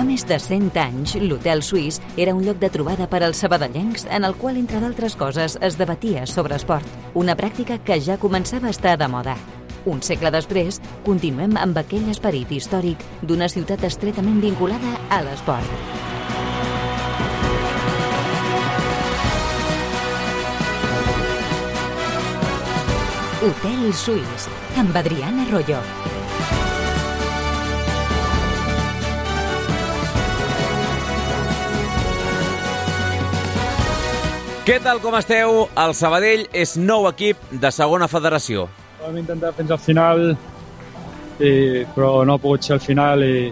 més de 100 anys, l'Hotel Suís era un lloc de trobada per als sabadellencs en el qual, entre d'altres coses, es debatia sobre esport. Una pràctica que ja començava a estar de moda. Un segle després, continuem amb aquell esperit històric d'una ciutat estretament vinculada a l'esport. Hotel Suís, amb Adriana Arroyo. Què tal, com esteu? El Sabadell és nou equip de segona federació. Vam intentar fins al final, però no ha pogut ser al final i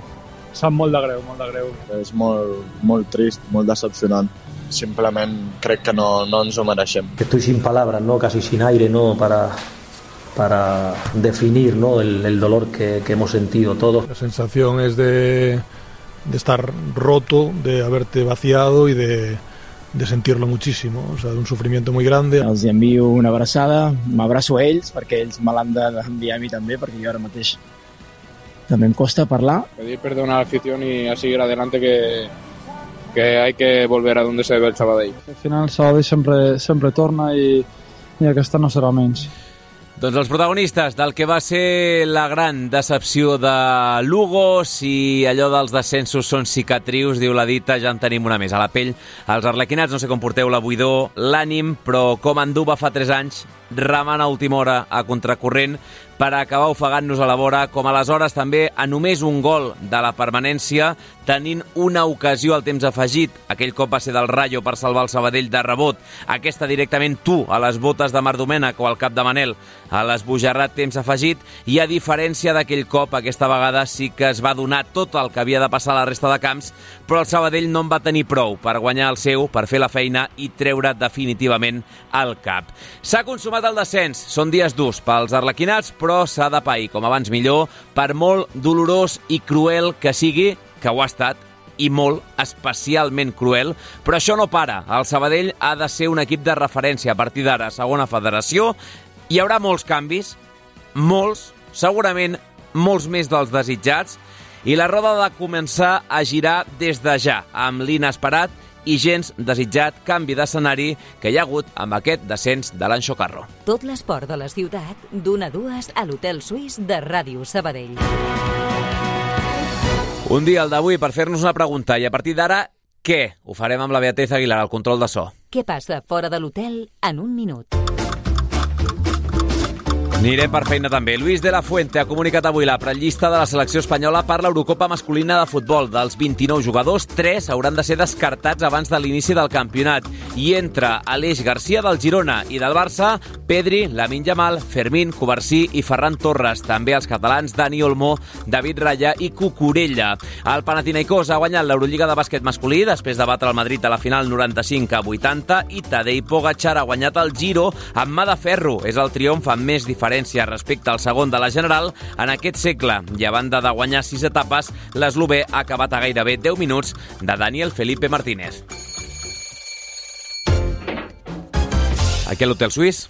sap molt de greu, molt de greu. És molt trist, molt decepcionant. Simplement crec que no ens ho mereixem. Estoy sin palabras, ¿no? Casi sin aire, ¿no? Para definir, ¿no? el dolor que hemos sentido todos. La sensación es de estar roto, de haberte vaciado y de sentirlo muchísimo, o sea, de un sufrimiento muy grande. Els envio una abraçada, m'abraço a ells perquè ells me l'han d'enviar a mi també, perquè jo ara mateix també em costa parlar. Pedir perdón a la afición y a seguir adelante, que hay que volver a donde se ve el Sabadell. Al final el Sabadell sempre torna i aquesta no serà menys. Doncs els protagonistes del que va ser la gran decepció de Lugo, si allò dels descensos són cicatrius, diu la dita, ja en tenim una més a la pell. Els arlequinats, no sé com porteu la buidor, l'ànim, però com Anduba fa 3 anys, remant a última hora a contracorrent per acabar ofegant-nos a la vora, com aleshores també a només un gol de la permanència, tenint una ocasió al temps afegit. Aquell cop va ser del Rayo per salvar el Sabadell de rebot. Aquesta directament tu, a les botes de Marc Domènech o al cap de Manel, a l'esbojarrat temps afegit, i a diferència d'aquell cop, aquesta vegada sí que es va donar tot el que havia de passar a la resta de camps, però el Sabadell no en va tenir prou per guanyar el seu, per fer la feina i treure definitivament el cap. S'ha consumat el descens, són dies durs pels arlequinats, però s'ha de pair, com abans millor, per molt dolorós i cruel que sigui, que ho ha estat, i molt, especialment cruel, però això no para. El Sabadell ha de ser un equip de referència a partir d'ara, segona federació. Hi haurà molts canvis, molts, segurament molts més dels desitjats, i la roda ha de començar a girar des de ja, amb l'inesperat i gens desitjat canvi d'escenari que hi ha hagut amb aquest descens de l'Anxo Carro. Tot l'esport de la ciutat, d'1 a 2 a l'Hotel Suís de Ràdio Sabadell. Un dia, el d'avui, per fer-nos una pregunta, i a partir d'ara, què? Ho farem amb la Beatriz Aguilar, al control de so. Què passa fora de l'hotel en un minut? Anirem per feina també. Luis de la Fuente ha comunicat avui la prellista de la selecció espanyola per l'Eurocopa masculina de futbol. Dels 29 jugadors, 3 hauran de ser descartats abans de l'inici del campionat. I entre Aleix Garcia del Girona i del Barça, Pedri, Lamine Yamal, Fermín, Covarsí i Ferran Torres. També els catalans Dani Olmo, David Raya i Cucurella. El Panathinaikos ha guanyat l'Eurolliga de bàsquet masculí després de batre el Madrid a la final 95-80 i Tadej Pogačar ha guanyat el Giro amb mà de ferro. És el triomf amb més diferència respecte al segon de la General en aquest segle. I a banda de guanyar 6 etapes, l'eslovè ha acabat a gairebé 10 minuts de Daniel Felipe Martínez. Aquí a l'Hotel Suís.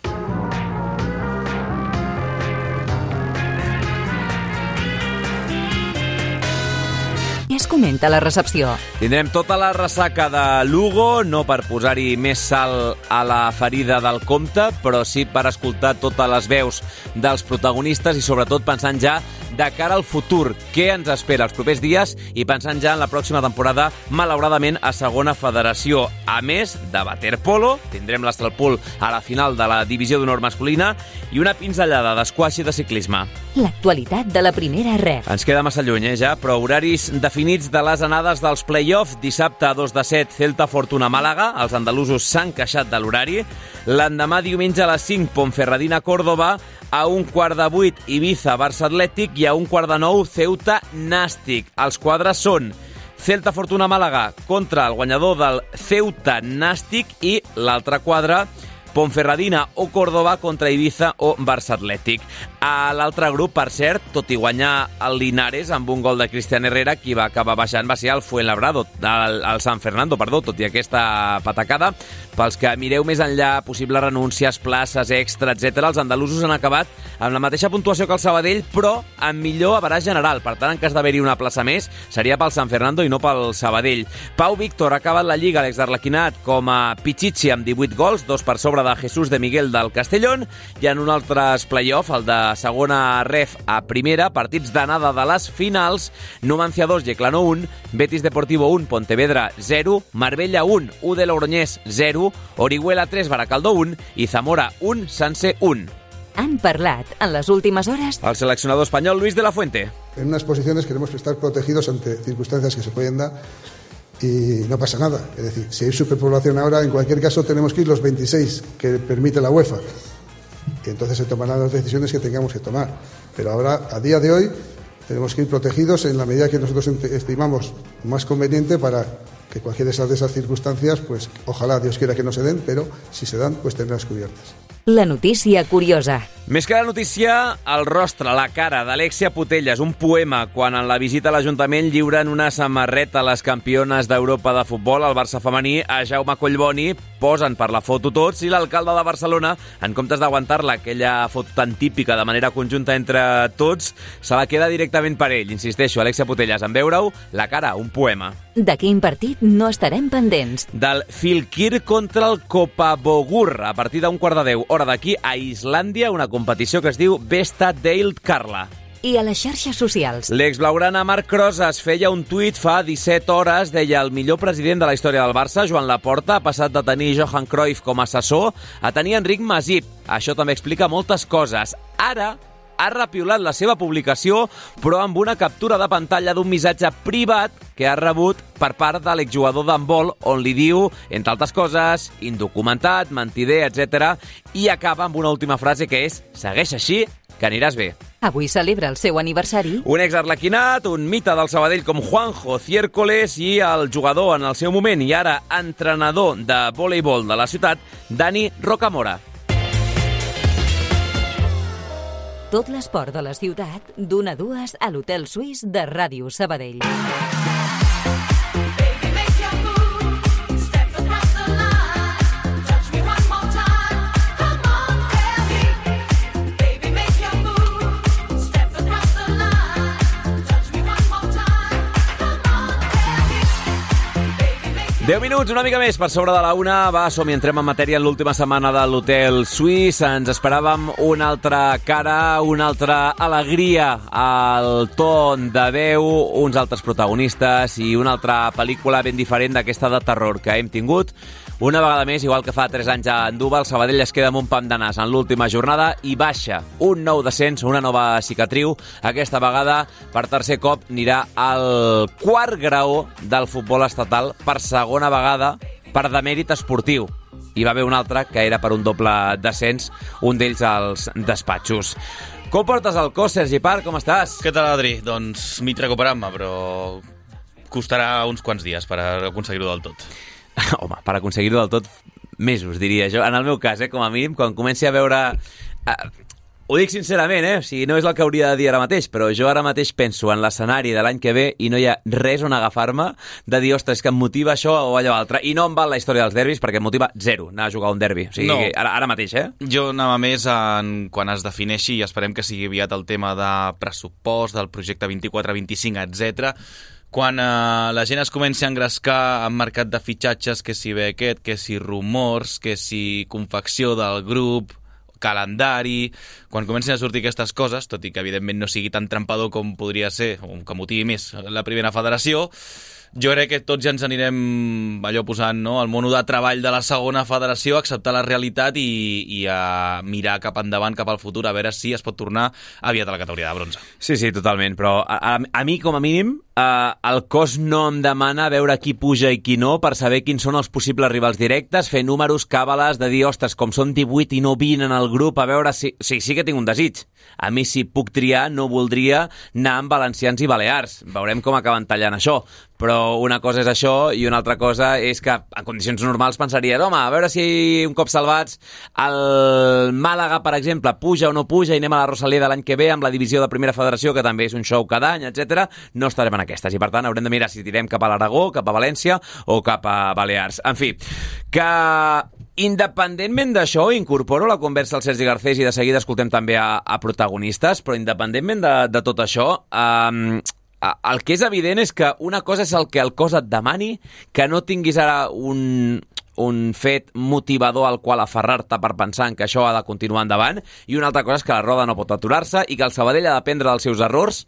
Es comenta la recepció. Tindrem tota la ressaca de Lugo, no per posar-hi més sal a la ferida del compte, però sí per escoltar totes les veus dels protagonistes i sobretot pensant ja de cara al futur, què ens espera els propers dies i pensant ja en la pròxima temporada, malauradament, a segona federació. A més de waterpolo, tindrem l'Estralpool a la final de la divisió d'honor masculina i una pinzellada d'esquaix i de ciclisme. L'actualitat de la primera ref. Ens queda massa lluny, ja, però horaris definits de les anades dels play-off. Dissabte a 2 de 7, Celta Fortuna Màlaga. Els andalusos s'han queixat de l'horari. L'endemà diumenge a les 5, Ponferradina Córdoba. A 7:15, Ibiza Barça Atlètic i a 8:45, Ceuta Nàstic. Els quadres són Celta Fortuna Màlaga contra el guanyador del Ceuta Nàstic i l'altre quadre Ponferradina o Córdoba contra Ibiza o Barça Atlètic. A l'altre grup, per cert, tot i guanyar el Linares amb un gol de Cristian Herrera, qui va acabar baixant va ser el Fuenlabrado, el San Fernando, tot i aquesta patacada. Pels que mireu més enllà, possibles renúncies, places, extra, etc., els andalusos han acabat amb la mateixa puntuació que el Sabadell, però amb millor average general. Per tant, en cas d'haver-hi una plaça més, seria pel San Fernando i no pel Sabadell. Pau Víctor ha acabat la Lliga, l'exarlequinat, com a Pichichi amb 18 gols, 2 per sobre de Jesús de Miguel del Castellón, i en un altre play-off, el de segona ref a primera, partits d'anada de les finals, Numancia 2, Yeclano 1, Betis Deportivo 1, Pontevedra 0, Marbella 1, U de Logroñés 0, Orihuela 3, Baracaldo 1 i Zamora 1, Sanse 1. Han parlat en les últimes hores El seleccionador espanyol Luis de la Fuente. En unas posiciones queremos estar protegidos ante circunstancias que se pueden dar y no pasa nada. Es decir, si hay superpoblación ahora, en cualquier caso tenemos que ir los 26 que permite la UEFA. Y entonces se tomarán las decisiones que tengamos que tomar. Pero ahora, a día de hoy, tenemos que ir protegidos en la medida que nosotros estimamos más conveniente para que cualquiera de esas circunstancias, pues ojalá Dios quiera que no se den, pero si se dan, pues tendrás cubiertas. la notícia curiosa. Més que la notícia, el rostre, la cara d'Alexia Putellas, un poema quan en la visita a l'Ajuntament lliuren una samarreta a les campiones d'Europa de futbol, al Barça femení, a Jaume Collboni, posen per la foto tots i l'alcalde de Barcelona, en comptes d'aguantar-la, aquella foto tan típica de manera conjunta entre tots, se la queda directament per ell. Insisteixo, Alexia Putellas, en veure-ho, la cara, un poema. De quin partit no estarem pendents? Del Fylkir contra el Kopabogur, a partir d'un 9:15, hora d'aquí, a Islàndia, una competició que es diu Besta Deild Karla. I a les xarxes socials? L'exblaugrana Marc Rosas feia un tuit fa 17 hores, deia: el millor president de la història del Barça, Joan Laporta, ha passat de tenir Johan Cruyff com a assessor a tenir Enric Masip. Això també explica moltes coses. Ara ha repiolat la seva publicació, però amb una captura de pantalla d'un missatge privat que ha rebut per part de l'exjugador d'handbol, on li diu, entre altres coses, indocumentat, mentider, etc. I acaba amb una última frase que és: segueix així, que aniràs bé. Avui celebra el seu aniversari. Un exarlequinat, un mite del Sabadell com Juanjo Ciércoles i el jugador en el seu moment i ara entrenador de voleibol de la ciutat, Dani Rocamora. Tot l'esport de la ciutat, d'1 a 2 a l'Hotel Suís de Ràdio Sabadell. Deu minuts, una mica més per sobre de la 1. Va, som-hi, entrem en matèria en l'última setmana de l'Hotel Suís. Ens esperàvem una altra cara, una altra alegria al ton de veu, uns altres protagonistes i una altra pel·lícula ben diferent d'aquesta de terror que hem tingut. Una vegada més, igual que fa 3 anys a Andúba, el Sabadell es queda amb un pam de nas en l'última jornada i baixa un nou descens, una nova cicatriu. Aquesta vegada, per tercer cop, anirà al quart graó del futbol estatal per segona vegada per demèrit esportiu. Hi va haver un altre que era per un doble descens, un d'ells als despatxos. Com portes el cos, Sergi Parc? Com estàs? Què tal, Adri? Doncs mig recuperant-me, però costarà uns quants dies per aconseguir-ho del tot. Home, per aconseguir-ho del tot, mesos, diria jo. En el meu cas, com a mínim, quan comenci a veure... Ho dic sincerament, o sigui, no és el que hauria de dir ara mateix, però jo ara mateix penso en l'escenari de l'any que ve i no hi ha res on agafar-me de dir, ostres, que em motiva això o allò altre. I no em val la història dels derbis perquè em motiva zero anar a jugar un derbi. O sigui, no. Ara mateix, Jo anava més quan es defineixi, i esperem que sigui aviat el tema de pressupost, del projecte 24-25, etc. Quan la gent es comenci a engrescar en mercat de fitxatges, que si Beckett, que si rumors, que si confecció del grup, calendari, quan comencin a sortir aquestes coses, tot i que evidentment no sigui tan trampador com podria ser, o que motivi més la primera federació, jo crec que tots ja ens anirem allò posant, no?, el mono de treball de la segona federació, a acceptar la realitat i a mirar cap endavant, cap al futur, a veure si es pot tornar aviat a la categoria de bronze. Sí, totalment, però a mi, com a mínim, el cos no em demana veure qui puja i qui no per saber quins són els possibles rivals directes, fer números, càbales, de dir, ostres, com són 18 i no 20 en el grup, a veure si... Sí que tinc un desig. A mi, si puc triar, no voldria anar amb valencians i balears. Veurem com acaben tallant això. però una cosa és això i una altra cosa és que en condicions normals pensaries, home, a veure si un cop salvats el Màlaga, per exemple, puja o no puja i anem a la Rosaleda l'any que ve amb la divisió de Primera Federació, que també és un show cada any, etc. No estarem en aquestes i per tant haurem de mirar si tirem cap a l'Aragó, cap a València o cap a Balears. En fi, que independentment d'això, incorporo la conversa al Sergi Garcés i de seguida escoltem també a protagonistes, però independentment de tot això, el que és evident és que una cosa és el que el cos et demani, que no tinguis ara un fet motivador al qual aferrar-te per pensar en que això ha de continuar endavant, i una altra cosa és que la roda no pot aturar-se i que el Sabadell ha d'aprendre dels seus errors.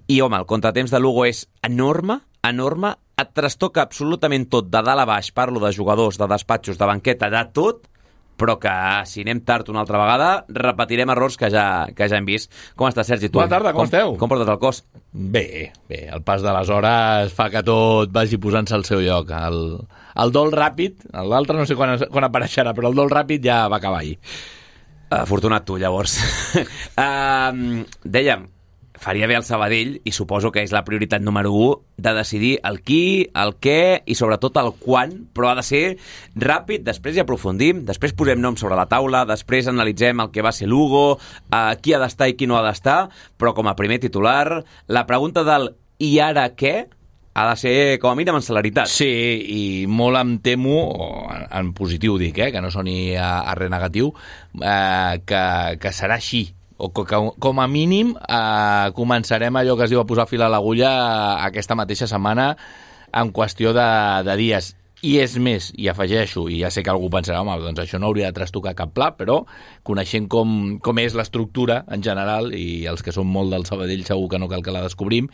I, home, el contratemps de Lugo és enorme, et trastoca absolutament tot, de dalt a baix, parlo de jugadors, de despatxos, de banqueta, de tot, però que si anem tard una altra vegada repetirem errors que ja hem vist. Com estàs, Sergi? Tu? Bona tarda, com esteu? Com portes el cos? Bé, el pas de les hores fa que tot vagi posant-se al seu lloc. El dol ràpid, l'altre no sé quan apareixerà, però el dol ràpid ja va acabar ahir. Afortunat tu, llavors. Dèiem, faria bé el Sabadell, i suposo que és la prioritat número 1, de decidir el qui, el què i sobretot el quan, però ha de ser ràpid, després hi aprofundim, després posem noms sobre la taula, després analitzem el que va ser Lugo, qui ha d'estar i qui no ha d'estar, però com a primer titular, la pregunta del i ara què ha de ser, com a mínim, en celeritat. Sí, i molt em temo, en positiu dic, que no soni a res negatiu, que serà així, o que com a mínim començarem allò que es diu a posar fil a l'agulla aquesta mateixa setmana en qüestió de dies. I és més, i afegeixo, i ja sé que algú pensarà, home, doncs això no hauria de trastocar cap pla, però coneixent com és l'estructura en general, i els que són molt del Sabadell segur que no cal que la descobrim,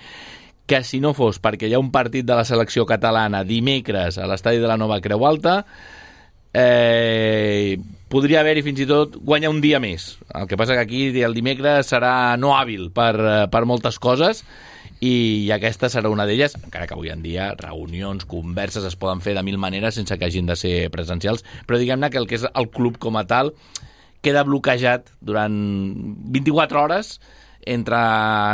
que si no fos perquè hi ha un partit de la selecció catalana dimecres a l'estadi de la Nova Creu Alta, podria haver-hi fins i tot guanyar un dia més. El que passa que aquí el dimecres serà no hàbil per moltes coses, i aquesta serà una d'elles, encara que avui en dia reunions, converses es poden fer de mil maneres sense que hagin de ser presencials, però diguem-ne que el que és el club com a tal queda bloquejat durant 24 hores entre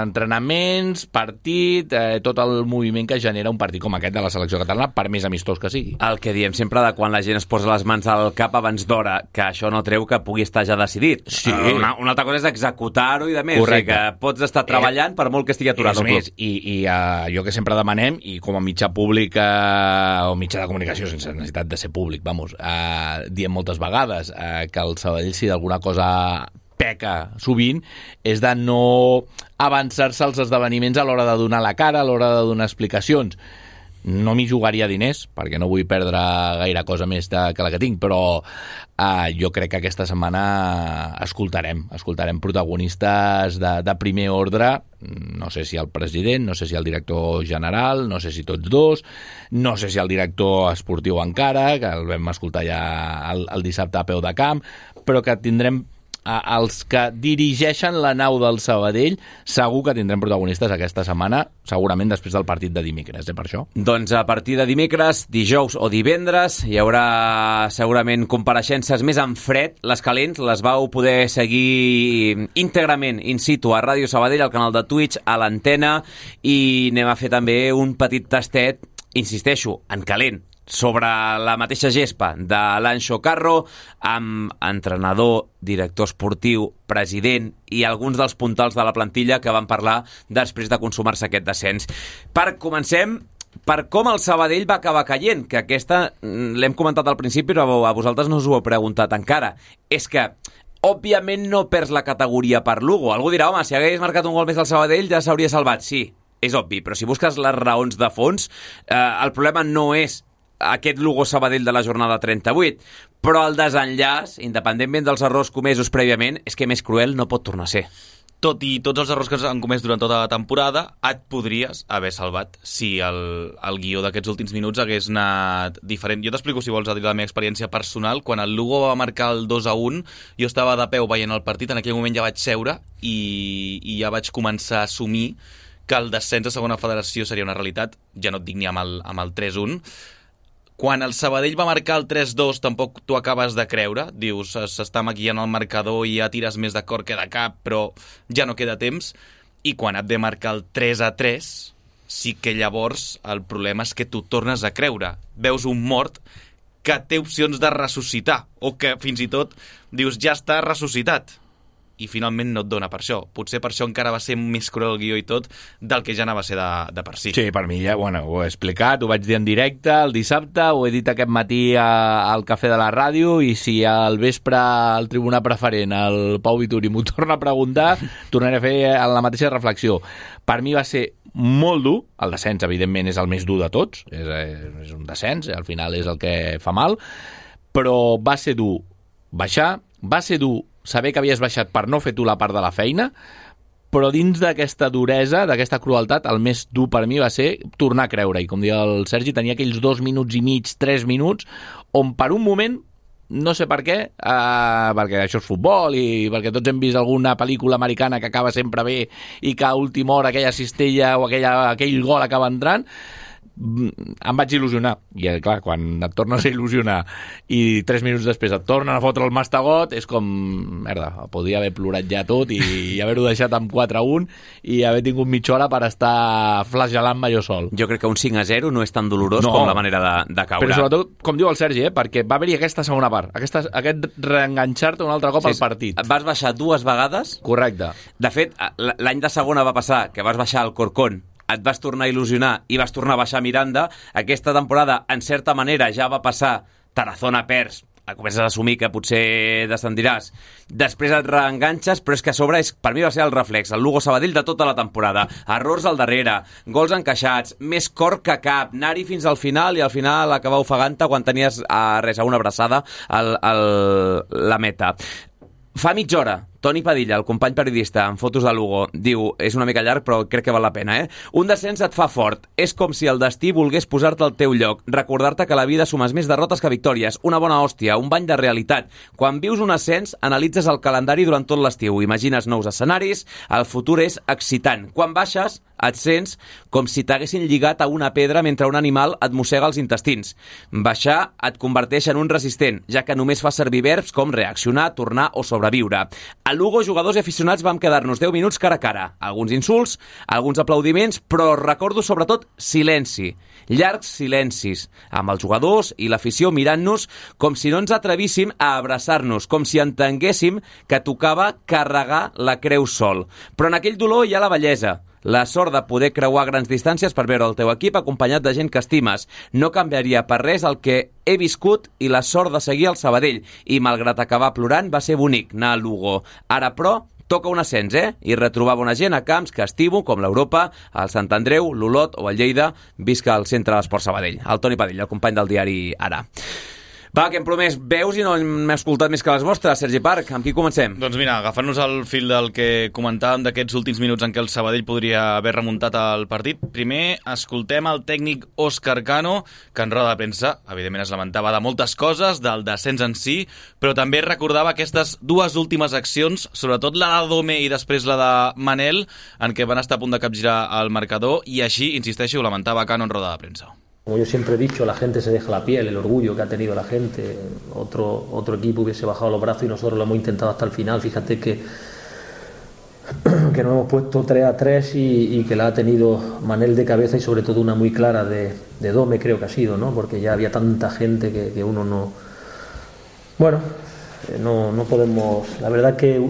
entrenaments, partit, tot el moviment que genera un partit com aquest de la selecció catalana, per més amistós que sigui. El que diem sempre de quan la gent es posa les mans al cap abans d'hora, que això no treu que pugui estar ja decidit. Sí. Una altra cosa és executar-ho i de més. Correcte. O sigui que pots estar treballant per molt que estigui aturat el club. I allò que sempre demanem, i com a mitjà públic o mitjà de comunicació, sense necessitat de ser públic, diem moltes vegades que el Sabadell, si d'alguna cosa peca sovint, és de no avançar-se als esdeveniments a l'hora de donar la cara, a l'hora de donar explicacions. No m'hi jugaria diners, perquè no vull perdre gaire cosa més que la que tinc, però jo crec que aquesta setmana escoltarem protagonistes de primer ordre, no sé si el president, no sé si el director general, no sé si tots dos, no sé si el director esportiu encara, que el vam escoltar ja el dissabte a peu de camp, però que tindrem els que dirigeixen la nau del Sabadell, segur que tindrem protagonistes aquesta setmana, segurament després del partit de dimecres, per això. Doncs a partir de dimecres, dijous o divendres hi haurà segurament compareixences més en fred. Les calents les vau poder seguir íntegrament in situ a Ràdio Sabadell, al canal de Twitch, a l'antena, i anem a fer també un petit tastet, insisteixo, en calent, sobre la mateixa gespa de l'Anxo Carro, amb entrenador, director esportiu, president i alguns dels puntals de la plantilla que van parlar després de consumar-se aquest descens. Comencem per com el Sabadell va acabar caient, que aquesta l'hem comentat al principi, però a vosaltres no us ho heu preguntat encara. És que òbviament no perds la categoria per Lugo. Algú dirà, home, si hagués marcat un gol més al Sabadell ja s'hauria salvat. Sí, és obvi, però si busques les raons de fons, el problema no és aquest Lugo Sabadell de la jornada 38, però el desenllaç, independentment dels errors comesos prèviament, és que més cruel no pot tornar a ser. Tot i tots els errors que s'han comès durant tota la temporada, et podries haver salvat si el guió d'aquests últims minuts hagués anat diferent. Jo t'explico, si vols, a dir la meva experiència personal. Quan el Lugo va marcar el 2-1, jo estava de peu veient el partit, en aquell moment ja vaig seure i ja vaig començar a assumir que el descens a segona federació seria una realitat. Ja no et dic ni amb el 3-1. Quan el Sabadell va marcar el 3-2 tampoc t'ho acabes de creure, dius s'està maquillant el marcador i ja tires més de cor que de cap, però ja no queda temps, i quan et ve marcar el 3-3 sí que llavors el problema és que tu tornes a creure. Veus un mort que té opcions de ressuscitar, o que fins i tot dius ja està ressuscitat, i finalment no et dona per això. Potser per això encara va ser més cruel el guió i tot del que ja anava a ser de per si. Sí, per mi ja, bueno, ho he explicat, ho vaig dir en directe el dissabte, ho he dit aquest matí al cafè de la ràdio, i si al vespre al tribunal preferent el Pau Vituri m'ho torna a preguntar, tornaré a fer la mateixa reflexió. Per mi va ser molt dur, el descens evidentment és el més dur de tots, és un descens, al final és el que fa mal, però va ser dur baixar, va ser dur saber que havies baixat per no fer tu la part de la feina, però dins d'aquesta duresa, d'aquesta crueltat, el més dur per mi va ser tornar a creure. I com deia el Sergi, tenia aquells 2 minuts i mig, 3 minuts, on per un moment, no sé per què, perquè això és futbol i perquè tots hem vist alguna pel·lícula americana que acaba sempre bé i que a última hora aquella cistella o aquell gol acaba entrant, em vaig il·lusionar. I clar, quan et tornes a il·lusionar i 3 minuts després et tornen a fotre el mastegot, és com, merda, podria haver plorat ja tot i haver-ho deixat amb 4-1 i haver tingut mitja hora per estar flagelant-me jo sol. Jo crec que un 5-0 no és tan dolorós com la manera de caure. Però sobretot, com diu el Sergi, perquè va haver-hi aquesta segona part, aquest reenganxar-te un altre cop al partit. Vas baixar 2 vegades. Correcte. De fet, l'any de segona va passar que vas baixar al Corcón, et vas tornar a il·lusionar i vas tornar a baixar a Miranda. Aquesta temporada, en certa manera, ja va passar. Tarazona perds, comences a assumir que potser descendiràs. Després et reenganxes, però és que a sobre per mi va ser el reflex, el Lugo Sabadell de tota la temporada. Errors al darrere, gols encaixats, més cor que cap, anar-hi fins al final i al final acabar ofegant-te quan tenies a una abraçada la meta. Fa mitja hora, Toni Padilla, el company periodista en fotos de Lugo, diu, és una mica llarg però crec que val la pena, un descens et fa fort, és com si el destí volgués posar-te al teu lloc, recordar-te que la vida sumes més derrotes que victòries, una bona hòstia, un bany de realitat. Quan vius un ascens, analitzes el calendari durant tot l'estiu, imagines nous escenaris, el futur és excitant. Quan baixes, et sents com si t'haguessin lligat a una pedra mentre un animal et mossega els intestins. Baixar et converteix en un resistent, ja que només fa servir verbs com reaccionar, tornar o sobreviure. A Lugo, jugadors i aficionats vam quedar-nos 10 minuts cara a cara. Alguns insults, alguns aplaudiments, però recordo sobretot silenci. Llargs silencis, amb els jugadors i l'afició mirant-nos com si no ens atrevíssim a abraçar-nos, com si entenguéssim que tocava carregar la creu sol. Però en aquell dolor hi ha la bellesa. La sort de poder creuar grans distàncies per veure el teu equip acompanyat de gent que estimes. No canviaria per res el que he viscut i la sort de seguir al Sabadell. I malgrat acabar plorant, va ser bonic anar a Lugo. Ara, però, toca un ascens, i retrobar bona gent a camps que estimo, com l'Europa, el Sant Andreu, l'Olot o el Lleida. Visca al Centre d'Esport Sabadell. El Toni Padilla, el company del diari Ara. Va, que hem promès veus i no hem escoltat més que les vostres. Sergi Parc, amb qui comencem? Doncs mira, agafant-nos el fil del que comentàvem d'aquests últims minuts en què el Sabadell podria haver remuntat el partit, primer escoltem el tècnic Òscar Cano, que en roda de premsa, evidentment, es lamentava de moltes coses, del descens en si, però també recordava aquestes 2 últimes accions, sobretot la de Dome i després la de Manel, en què van estar a punt de capgirar el marcador, i així, insisteixo, ho lamentava Cano en roda de premsa. Como yo siempre he dicho, la gente se deja la piel, el orgullo que ha tenido la gente. Otro equipo hubiese bajado los brazos y nosotros lo hemos intentado hasta el final. Fíjate que nos hemos puesto 3-3 y que la ha tenido Manel de cabeza y sobre todo una muy clara de Dome, creo que ha sido, ¿no? Porque ya había tanta gente que uno no... Bueno, no podemos... La verdad que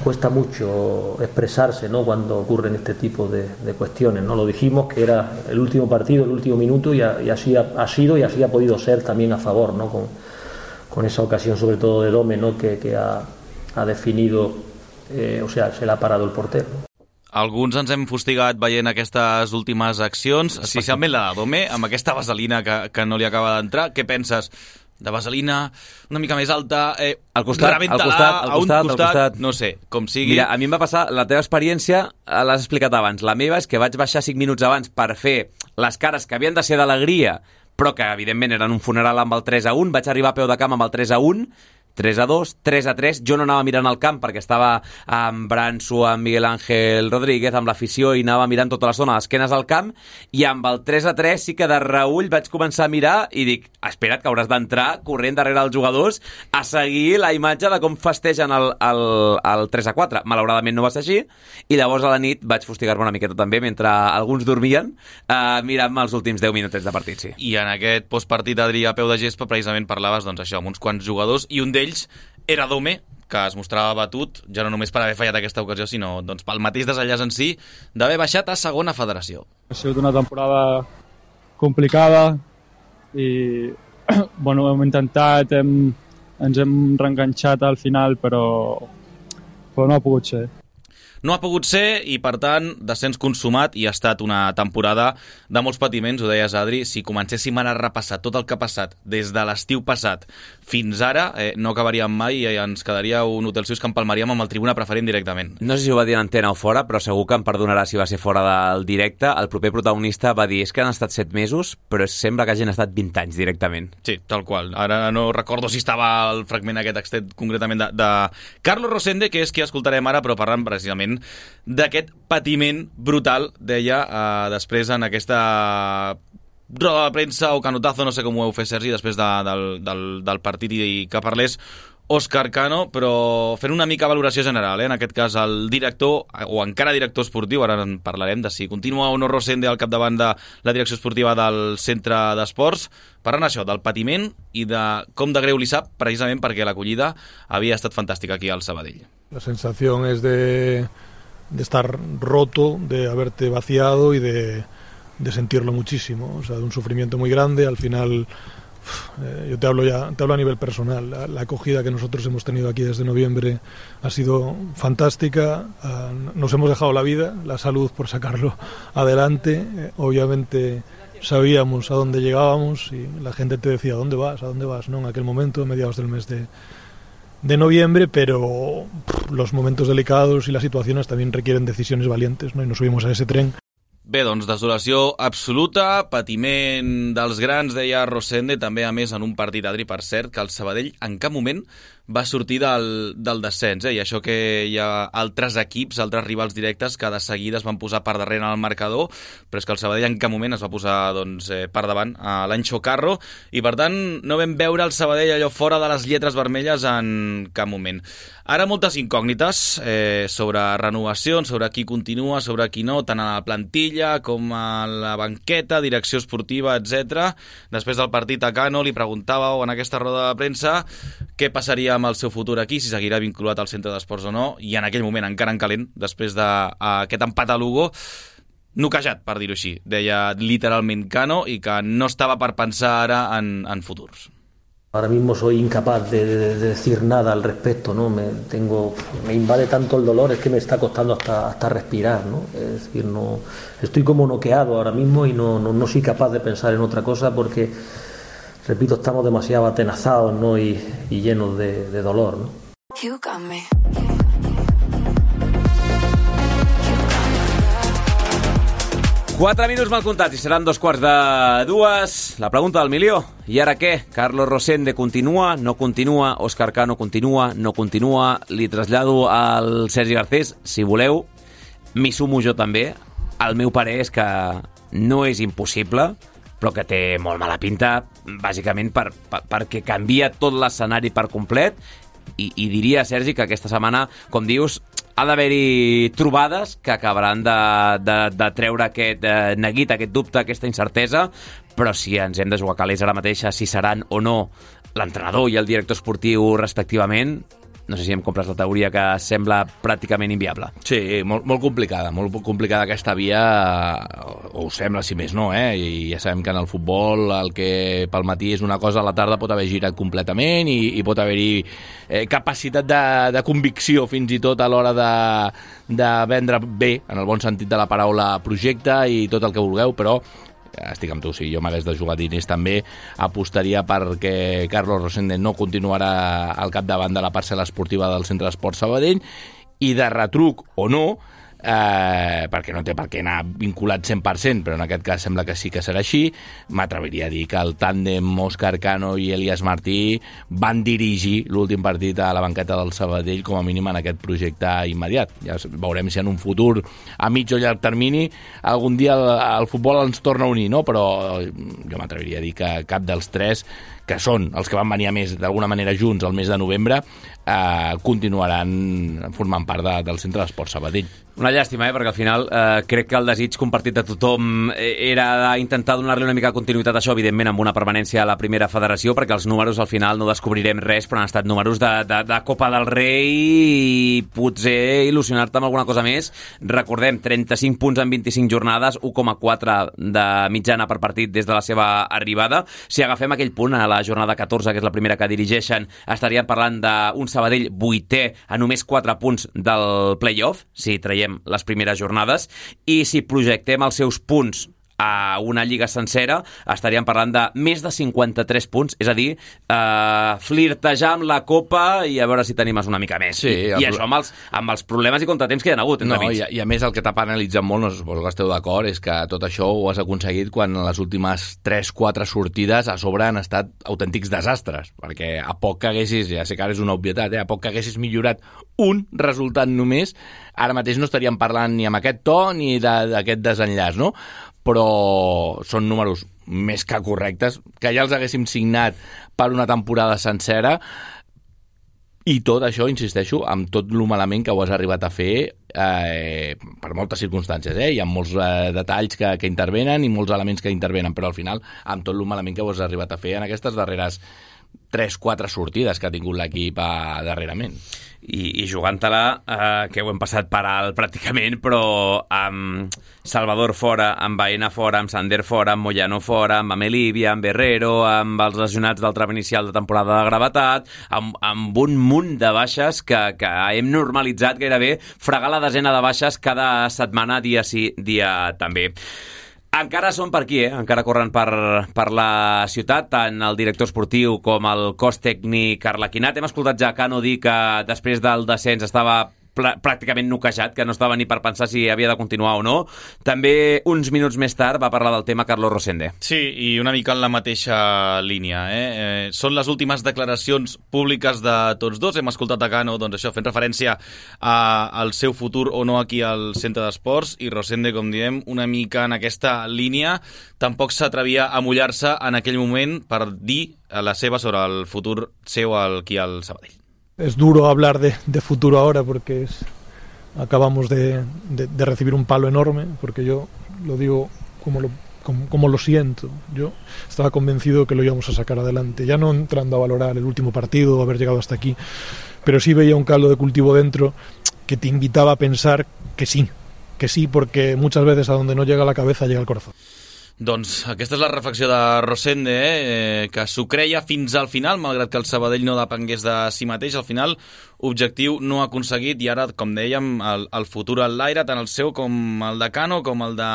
cuesta mucho expresarse, ¿no?, cuando ocurren este tipo de cuestiones, ¿no? Lo dijimos que era el último partido, el último minuto y así ha sido y así ha podido ser también a favor, ¿no?, con esa ocasión sobre todo de Dome, ¿no?, que ha definido, o sea, se l'ha parado el portero. Alguns ens hem fustigat veient aquestes últimes accions, especialment la de Dome, amb aquesta vaselina que no li acaba d'entrar. Què penses? De vaselina una mica més alta, al costat, no sé, com sigui. Mira, a mi em va passar, la teva experiència l'has explicat abans, la meva és que vaig baixar 5 minuts abans per fer les cares que havien de ser d'alegria, però que evidentment eren un funeral amb el 3-1, vaig arribar a peu de camp amb el 3-1, 3-2, 3-3. Jo no anava mirant el camp perquè estava amb Branso, amb Miguel Ángel Rodríguez, amb l'afició, i anava mirant tota l'estona a les esquenes al camp, i amb el 3-3 sí que de reull vaig començar a mirar i dic, espera't, que hauràs d'entrar corrent darrere els jugadors a seguir la imatge de com festegen el 3-4. Malauradament no va ser així, i llavors a la nit vaig fustigar-me una miqueta també, mentre alguns dormien, mirant-me els últims 10 minutets de partit, sí. I en aquest postpartit, Adri, a peu de gespa, precisament parlaves, doncs, això, amb uns quants jugadors, i un d'ells era Dome, que es mostrava batut, ja no només per haver fallat aquesta ocasió, sinó doncs, pel mateix desenllaç en si, d'haver baixat a segona federació. Ha sigut una temporada complicada i bueno, hem intentat, ens hem reenganxat al final, però no ha pogut ser. No ha pogut ser i, per tant, descens consumat, i ha estat una temporada de molts patiments, ho deies, Adri. Si comencéssim ara a repassar tot el que ha passat des de l'estiu passat fins ara, no acabaríem mai i ens quedaria un Hotel Suís que empalmaríem amb el tribuna preferent directament. No sé si ho va dir en antena o fora, però segur que em perdonarà si va ser fora del directe. El proper protagonista va dir, és que han estat 7 mesos, però sembla que hagin estat 20 anys directament. Sí, tal qual. Ara no recordo si estava el fragment aquest extret concretament de Carlos Rosende, que és qui escoltarem ara, però parlant precisament d'aquest patiment brutal, deia, després en aquesta roda de premsa o canotazo, no sé com ho heu fet, Sergi, després del partit, i que parlés Òscar Cano, però fent una mica valoració general, en aquest cas el director, o encara director esportiu, ara en parlarem de si continua o no Rosende al capdavant de la direcció esportiva del centre d'esports, parlant això, del patiment i de com de greu li sap, precisament perquè l'acollida havia estat fantàstica aquí al Sabadell. La sensación es de estar roto, de haberte vaciado y de sentirlo muchísimo, o sea, de un sufrimiento muy grande. Al final, yo te hablo a nivel personal, la acogida que nosotros hemos tenido aquí desde noviembre ha sido fantástica, nos hemos dejado la vida, la salud por sacarlo adelante, obviamente sabíamos a dónde llegábamos y la gente te decía, ¿a dónde vas? ¿No? En aquel momento, mediados del mes de noviembre, pero los momentos delicados y las situaciones también requieren decisiones valientes, ¿no? Y nos subimos a ese tren. Bé, doncs desolació absoluta, patiment dels grans, deia Rosende, també a més en un partit, Adri, per cert, que el Sabadell en cap moment va sortir del descens, i això que hi ha altres equips, altres rivals directes que de seguida es van posar per darrere en el marcador, però és que el Sabadell en cap moment es va posar per davant a l'Anxo Carro, i per tant no vam veure el Sabadell allò fora de les lletres vermelles en cap moment. Ara moltes incògnites sobre renovacions, sobre qui continua, sobre qui no, tant a la plantilla com a la banqueta, direcció esportiva, etc. Després del partit a Cano li preguntàveu en aquesta roda de premsa què passaria amb el seu futur aquí, si seguirà vinculat al centre d'esports o no, i en aquell moment, encara en calent, després d'aquest empat a Lugo, noquejat, per dir-ho així. Deia literalment Cano i que no estava per pensar ara en futurs. Ahora mismo soy incapaz de decir nada al respecto, ¿no? Me invade tanto el dolor, es que me está costando hasta respirar, ¿no? Es decir, no, estoy como noqueado ahora mismo y no soy capaz de pensar en otra cosa porque, repito, estamos demasiado atenazados, ¿no? y llenos de dolor, ¿no? 4 minuts mal comptats i seran 2:45. La pregunta del milió. I ara què? Carlos Rosende continua? No continua? Òscar Cano continua? No continua? Li trasllado al Sergi Garcés, si voleu. M'hi sumo jo també. El meu parer és que no és impossible, però que té molt mala pinta, bàsicament perquè canvia tot l'escenari per complet. I diria, Sergi, que aquesta setmana, com dius, ha d'haver-hi trobades que acabaran de treure aquest neguit, aquest dubte, aquesta incertesa, però si ens hem de jugar calés ara mateix, si seran o no l'entrenador i el director esportiu respectivament, no sé si em compres la teoria que sembla pràcticament inviable. Sí, molt complicada aquesta via, o ho sembla, si més no, i ja sabem que en el futbol el que pel matí és una cosa, a la tarda pot haver girat completament i pot haver-hi capacitat de convicció fins i tot a l'hora de vendre bé, en el bon sentit de la paraula, projecte i tot el que vulgueu, però estic amb tu, si jo m'hagués de jugar diners també apostaria perquè Carlos Rosende no continuarà al capdavant de la parcel·la esportiva del Centre d'Esports Sabadell, i de retruc o no, perquè no té per què anar vinculat 100%, però en aquest cas sembla que sí que serà així. M'atreviria a dir que el tàndem Òscar Cano i Elias Martí van dirigir l'últim partit a la banqueta del Sabadell, com a mínim en aquest projecte immediat. Ja veurem si en un futur a mig o llarg termini algun dia el futbol ens torna a unir, no? Però jo m'atreviria a dir que cap dels tres, que són els que van venir a més d'alguna manera junts el mes de novembre, continuaran formant part del Centre d'Esports Sabadell. Una llàstima, perquè al final crec que el desig compartit de tothom era intentar donar-li una mica de continuïtat a això, evidentment amb una permanència a la primera federació, perquè els números al final no descobrirem res, però han estat números de Copa del Rei i potser il·lusionar-te amb alguna cosa més. Recordem, 35 punts en 25 jornades, 1,4 de mitjana per partit des de la seva arribada. Si agafem aquell punt a la jornada 14, que és la primera que dirigeixen, estaríem parlant d'un Sabadell 8è a només 4 punts del play-off, si traiem les primeres jornades, i si projectem els seus punts a una lliga sencera, estaríem parlant de més de 53 punts, és a dir, flirtejar amb la Copa i a veure si t'animes una mica més. Sí, I això amb els problemes i contratemps que hi ha hagut entremig. I a més el que t'ha penalitzat molt, no suposo que esteu d'acord, és que tot això ho has aconseguit quan les últimes 3-4 sortides a sobre han estat autèntics desastres, perquè a poc que haguessis, ja sé que ara és una obvietat, a poc que haguessis millorat un resultat només, ara mateix no estaríem parlant ni amb aquest to ni d'aquest desenllaç, no? Però són números més que correctes, que ja els haguéssim signat per una temporada sencera, i tot això, insisteixo, amb tot lo malament que ho has arribat a fer per moltes circumstàncies, hi ha molts detalls que intervenen i molts elements que intervenen, però al final, amb tot lo malament que ho has arribat a fer en aquestes darreres 3-4 sortides que ha tingut l'equip darrerament. I jugant-te-la, que ho hem passat per alt pràcticament, però amb Salvador fora, amb Baena fora, amb Sander fora, amb Moyano fora, amb Amelivia, amb Herrero, amb els lesionats del tram inicial de temporada de gravetat, amb un munt de baixes que hem normalitzat gairebé fregar la desena de baixes cada setmana, dia sí, dia també. Encara són per aquí, encara corren per la ciutat, tant el director esportiu com el cos tècnic arlequinat. Hem escoltat ja Cano dir que després del descens estava pràcticament noquejat, que no estava ni per pensar si havia de continuar o no. També uns minuts més tard va parlar del tema Carlos Rosende. Sí, i una mica en la mateixa línia. Són les últimes declaracions públiques de tots dos. Hem escoltat a Cano, doncs això, fent referència al seu futur o no aquí al Centre d'Esports, i Rosende, com diem, una mica en aquesta línia. Tampoc s'atrevia a mullar-se en aquell moment per dir la seva sobre el futur seu aquí al Sabadell. Es duro hablar de futuro ahora porque acabamos de recibir un palo enorme, porque yo lo digo como lo siento. Yo estaba convencido que lo íbamos a sacar adelante, ya no entrando a valorar el último partido o haber llegado hasta aquí, pero sí veía un caldo de cultivo dentro que te invitaba a pensar que sí, porque muchas veces a donde no llega la cabeza llega el corazón. Doncs aquesta és la reflexió de Rosende, que s'ho creia fins al final, malgrat que el Sabadell no depengués de si mateix. Al final, objectiu no aconseguit, i ara, com dèiem, el futur al l'aire, tant el seu com el de Cano, com el de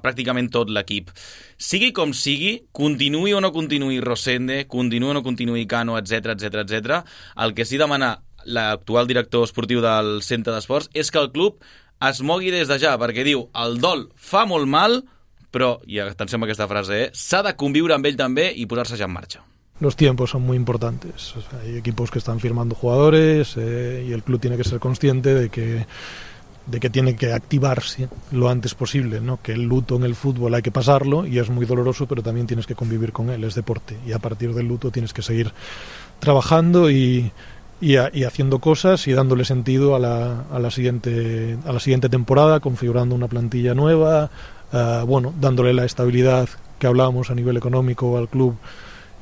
pràcticament tot l'equip. Sigui com sigui, continuï o no continuï Rosende, continuï o no continuï Cano, etc, el que sí demana l'actual director esportiu del Centre d'Esports és que el club es mogui des de ja, perquè diu, el dol fa molt mal, però, i atenció amb aquesta frase, s'ha de conviure amb ell també i posar-se ja en marxa. Los tiempos son muy importantes. O sea, hay equipos que están firmando jugadores y el club tiene que ser consciente de que tiene que activarse lo antes posible, ¿no? Que el luto en el fútbol hay que pasarlo y es muy doloroso, pero también tienes que convivir con él, es deporte. Y a partir del luto tienes que seguir trabajando y haciendo cosas y dándole sentido a la siguiente temporada, configurando una plantilla nueva, dándole la estabilidad que hablábamos a nivel económico al club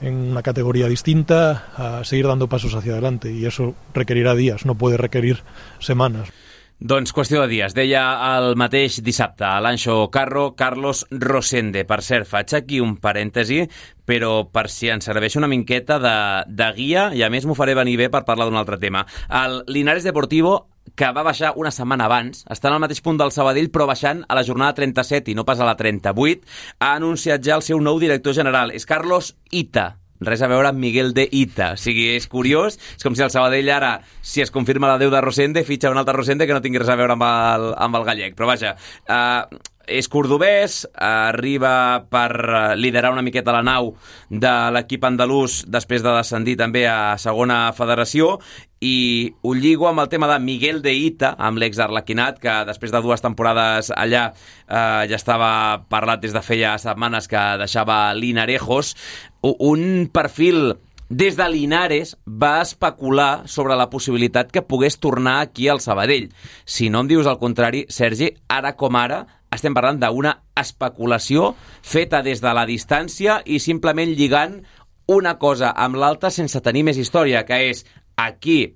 en una categoría distinta, a seguir dando pasos hacia adelante, y eso requerirá días, no puede requerir semanas. Doncs qüestió de dies. Deia el mateix dissabte a l'Anxo Carro, Carlos Rosende. Per cert, faig aquí un parèntesi, però per si ens serveix una miqueta de guia, i a més m'ho faré venir bé per parlar d'un altre tema. El Linares Deportivo, que va baixar una setmana abans, està en el mateix punt del Sabadell, però baixant a la jornada 37 i no pas a la 38, ha anunciat ja el seu nou director general. És Carlos Ita. res a veure amb Miguel de Ita. O sigui, és curiós, és com si el Sabadell ara, si es confirma la deu de Rosende, fitxa un altre Rosende que no tingui res a veure amb el gallec. Però vaja, és cordobès, arriba per liderar una miqueta la nau de l'equip andalús després de descendir també a segona federació, i ho lligo amb el tema de Miguel de Ita, amb l'ex-Arlequinat, que després de 2 temporades allà ja estava parlat des de feia setmanes que deixava Linarejos. Un perfil des de Linares va especular sobre la possibilitat que pogués tornar aquí al Sabadell. Si no em dius el contrari, Sergi, ara com ara estem parlant d'una especulació feta des de la distància i simplement lligant una cosa amb l'altra sense tenir més història, que és aquí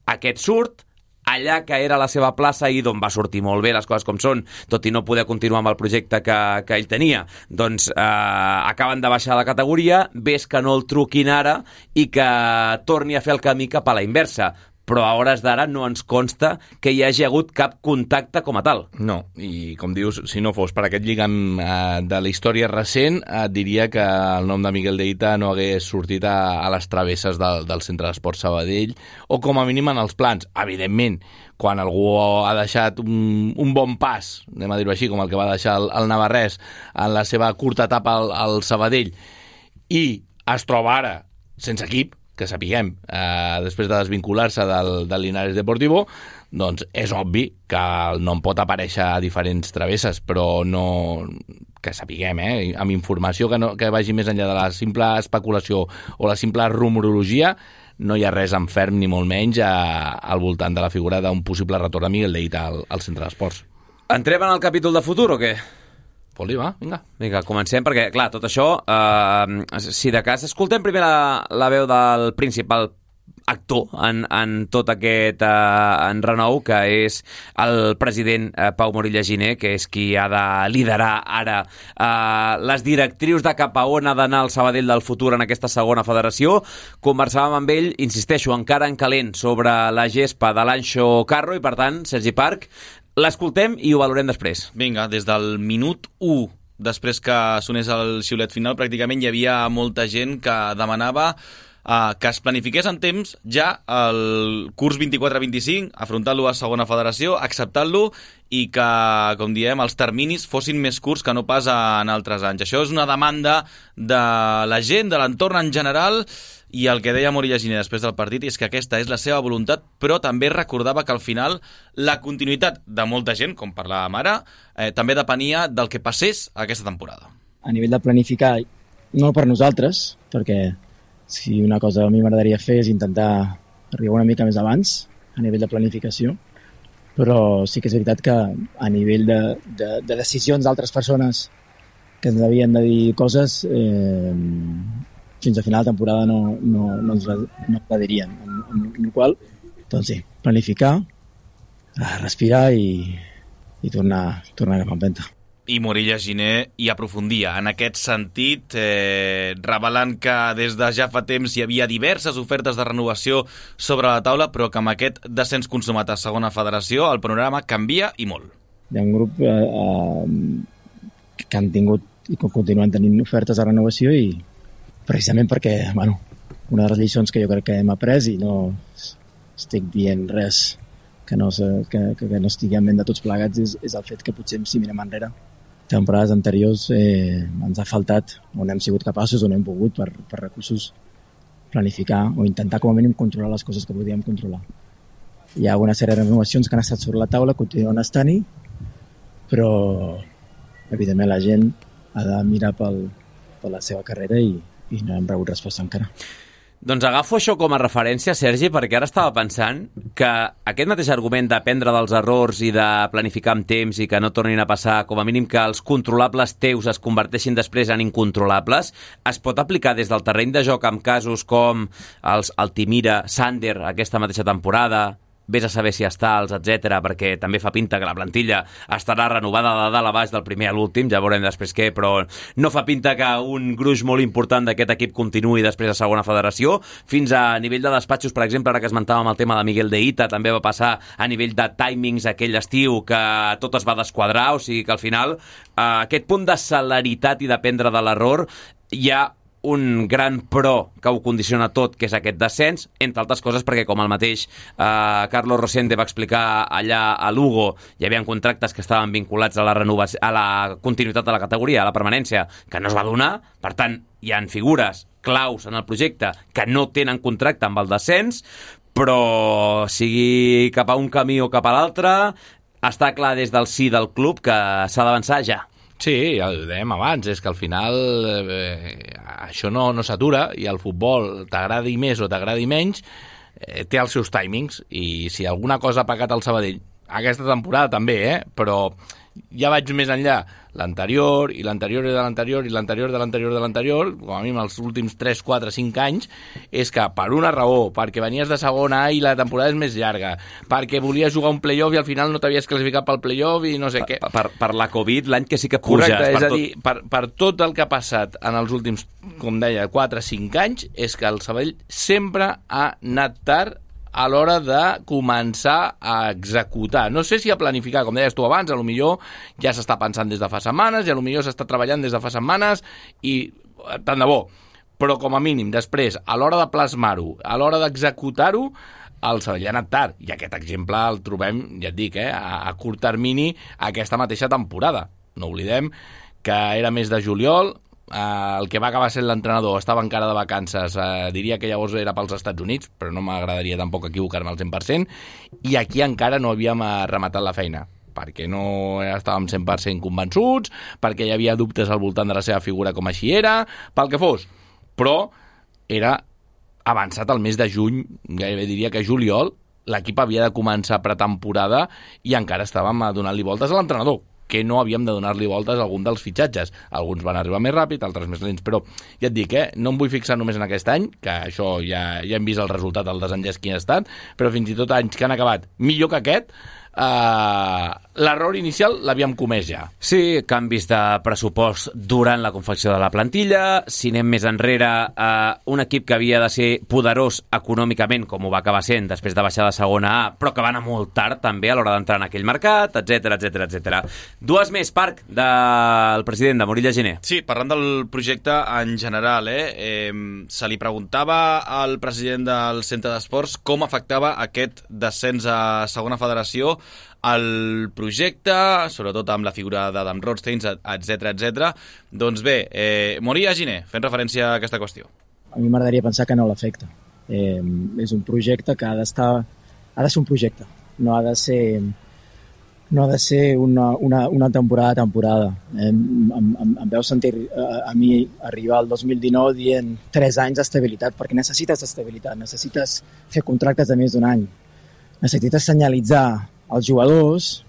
aquest surt, allà que era la seva plaça i d'on va sortir molt bé les coses com són, tot i no poder continuar amb el projecte que ell tenia. Doncs acaben de baixar la categoria, ves que no el truquin ara i que torni a fer el camí cap a la inversa. Però a hores d'ara no ens consta que hi hagi hagut cap contacte com a tal. No, i com dius, si no fos per aquest lligam de la història recent, et diria que el nom de Miguel de Ita no hagués sortit a les travesses del Centre d'Esports Sabadell, o com a mínim en els plans. Evidentment, quan algú ha deixat un bon pas, anem a dir-ho així, com el que va deixar el navarrès en la seva curta etapa al Sabadell, i es troba ara sense equip, que sapiguem, després de desvincular-se del Linares Deportivo, doncs és obvi que el nom pot aparèixer a diferents travesses, però no, que sapiguem, amb informació que vagi més enllà de la simple especulació o la simple rumorologia, no hi ha res en ferm ni molt menys al voltant de la figura d'un possible retorn de Miguel de Ita al Centre d'Esports. Entrem en el capítol de futur o què? Vol dir, va, vinga. Vinga, comencem, perquè, clar, tot això, si de cas, escoltem primer la veu del principal actor en tot aquest enrenou, que és el president Pau Morilla Giner, que és qui ha de liderar ara les directrius de cap a on ha d'anar el Sabadell del futur en aquesta segona federació. Conversàvem amb ell, insisteixo, encara en calent, sobre la gespa de l'Anxo Carro, i per tant, Sergi Parc, l'escoltem i ho valorem després. Vinga, des del minut 1, després que sonés el xiulet final, pràcticament hi havia molta gent que demanava que es planifiqués en temps ja el curs 24-25, afrontant-lo a segona federació, acceptant-lo, i que, com diem, els terminis fossin més curts que no pas en altres anys. Això és una demanda de la gent, de l'entorn en general, i el que deia Morilla Giner després del partit és que aquesta és la seva voluntat, però també recordava que al final la continuïtat de molta gent, com parlàvem ara, també depenia del que passés aquesta temporada. A nivell de planificar, no per nosaltres, perquè si una cosa a mi m'agradaria fer és intentar arribar una mica més abans a nivell de planificació, però sí que és veritat que a nivell de decisions d'altres persones que ens havien de dir coses, fins a final de temporada no ens la dirien. Amb la qual cosa, doncs sí, planificar, respirar i tornar cap a empenta. I Morilla Giner hi aprofundia en aquest sentit, revelant que des de ja fa temps hi havia diverses ofertes de renovació sobre la taula, però que amb aquest descens consumat a segona federació el panorama canvia i molt. Hi ha un grup que han tingut i que continuen tenint ofertes de renovació, i precisament perquè, una de les lliçons que jo crec que hem après, i no estic dient res que no estigui en ment de tots plegats, és el fet que potser, si mirem enrere, temporades anteriors ens ha faltat, o no hem sigut capaços o no hem pogut per recursos planificar o intentar com a mínim controlar les coses que podíem controlar. Hi ha una sèrie de renovacions que han estat sobre la taula, continuen estant-hi, però evidentment la gent ha de mirar per la seva carrera i no hem rebut resposta encara. Doncs agafo això com a referència, Sergi, perquè ara estava pensant que aquest mateix argument d'aprendre dels errors i de planificar amb temps i que no tornin a passar, com a mínim que els controlables teus es converteixin després en incontrolables, es pot aplicar des del terreny de joc amb casos com els Altimira, Sander, aquesta mateixa temporada, vés a saber si estals, etc, perquè també fa pinta que la plantilla estarà renovada de dalt a baix del primer a l'últim, ja veurem després què, però no fa pinta que un gruix molt important d'aquest equip continuï després a segona federació. Fins a nivell de despatxos, per exemple, ara que esmentàvem el tema de Miguel de Ita, també va passar a nivell de timings aquell estiu que tot es va desquadrar, o sigui que al final aquest punt de celeritat i d'aprendre de l'error ja un gran pro que ho condiciona tot, que és aquest descens, entre altres coses perquè, com el mateix Carlos Rosende va explicar allà a Lugo, hi havia contractes que estaven vinculats a la continuïtat de la categoria, a la permanència, que no es va donar. Per tant, hi han figures claus en el projecte que no tenen contracte amb el descens, però sigui cap a un camí o cap a l'altre, està clar des del sí del club que s'ha d'avançar ja. Sí, ja ho dèiem abans, és que al final això no s'atura i el futbol, t'agradi més o t'agradi menys, té els seus timings, i si alguna cosa ha pecat el Sabadell, aquesta temporada també, però ja vaig més enllà, l'anterior i l'anterior i de l'anterior i l'anterior de l'anterior de l'anterior, com a mínim els últims 3, 4, 5 anys, és que per una raó, perquè venies de segona A i la temporada és més llarga, perquè volies jugar un play-off i al final no t'havies classificat pel play-off i no sé què. Per la Covid, l'any que sí que puges. Correcte, és a dir, per tot el que ha passat en els últims, com deia, 4, 5 anys, és que el Sabadell sempre ha anat tard a l'hora de començar a executar. No sé si a planificar, com deies tu abans, a lo millor ja s'està pensant des de fa setmanes, i a lo millor s'està treballant des de fa setmanes, i tant de bo. Però com a mínim, després, a l'hora de plasmar-ho, a l'hora d'executar-ho, el Sabadell ha anat tard. I aquest exemple el trobem, ja et dic, a curt termini aquesta mateixa temporada. No oblidem que era mes de juliol, el que va acabar sent l'entrenador estava encara de vacances, diria que llavors era pels Estats Units, però no m'agradaria tampoc equivocar-me al 100%, i aquí encara no havíem rematat la feina, perquè no estàvem 100% convençuts, perquè hi havia dubtes al voltant de la seva figura com així era, pel que fos, però era avançat el mes de juny, gairebé diria que juliol, l'equip havia de començar pretemporada i encara estàvem donant-li voltes a l'entrenador, que no havíem de donar-li voltes a algun dels fitxatges. Alguns van arribar més ràpid, altres més lents, però ja et dic, no em vull fixar només en aquest any, que això ja hem vist el resultat, el desenllaç quin ha estat, però fins i tot anys que han acabat millor que aquest, l'error inicial l'havíem comès ja. Sí, canvis de pressupost durant la confecció de la plantilla, si anem més enrere, un equip que havia de ser poderós econòmicament, com ho va acabar sent després de baixar de segona A, però que va anar molt tard també a l'hora d'entrar en aquell mercat, etc. Dues més, Parc, del president de Morilla Giner. Sí, parlant del projecte en general, se li preguntava al president del Centre d'Esports com afectava aquest descens a segona federació el projecte, sobretot amb la figura d'Adam Rothstein, etc. Doncs bé, Morilla Giner, fent referència a aquesta qüestió. A mi m'agradaria pensar que no l'afecta. És un projecte que ha de ser un projecte, no ha de ser una temporada a temporada. Em veu sentir a mi arribar al 2019 dient 3 anys d'estabilitat, perquè necessites estabilitat, necessites fer contractes de més d'un any, necessites senyalitzar als jugadors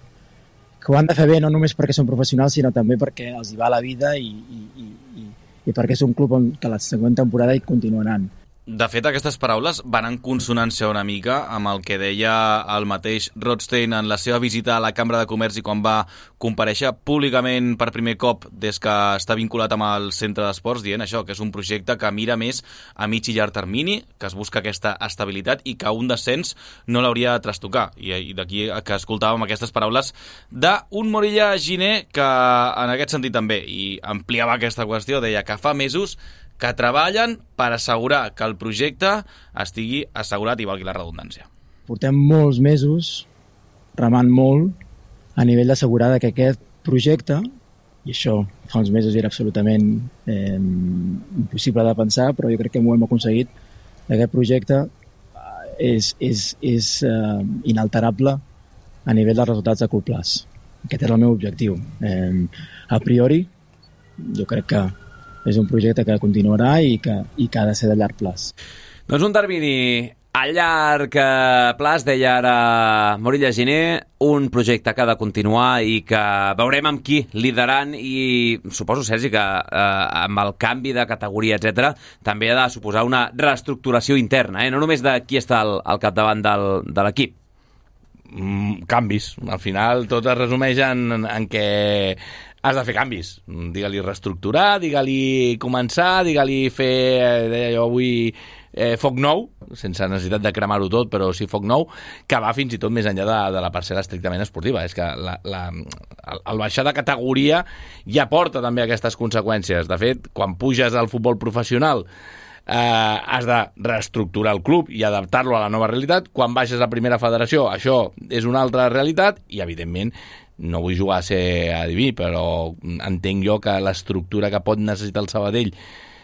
que ho han de fer bé no només perquè són professionals, sinó també perquè els hi va la vida i perquè és un club que la següent temporada hi continuaran. De fet, aquestes paraules van en consonància una mica amb el que deia el mateix Rothstein en la seva visita a la Cambra de Comerç i quan va comparèixer públicament per primer cop des que està vinculat amb el Centre d'Esports, dient això, que és un projecte que mira més a mig i llarg termini, que es busca aquesta estabilitat i que un descens no l'hauria de trastocar. I d'aquí que escoltàvem aquestes paraules d'un Morilla Giner que en aquest sentit també, i ampliava aquesta qüestió, deia que fa mesos que treballen per assegurar que el projecte estigui assegurat i valgui la redundància. Portem molts mesos remant molt a nivell d'assegurar que aquest projecte, i això fa uns mesos era absolutament impossible de pensar, però jo crec que m'ho hem aconseguit, aquest projecte és inalterable a nivell dels resultats a curt plaç. Aquest era el meu objectiu. A priori, jo crec que és un projecte que continuarà i que ha de ser de llarg plaç. Doncs un termini a llarg plaç, deia ara Morilla Giner, un projecte que ha de continuar i que veurem amb qui liderant, i suposo, Sergi, que amb el canvi de categoria, etc, també ha de suposar una reestructuració interna, no només de qui està al capdavant de l'equip. Canvis. Al final tot es resumeix en què has de fer canvis. Digue-li reestructurar, digue-li començar, digue-li fer... Jo vull foc nou, sense necessitat de cremar-ho tot, però sí foc nou, que va fins i tot més enllà de la parcel·la estrictament esportiva. És que el baixar de categoria ja porta també aquestes conseqüències. De fet, quan puges al futbol professional has de reestructurar el club i adaptar-lo a la nova realitat. Quan baixes a primera federació, això és una altra realitat i, evidentment, no vull jugar a ser adiví, però entenc jo que l'estructura que pot necessitar el Sabadell,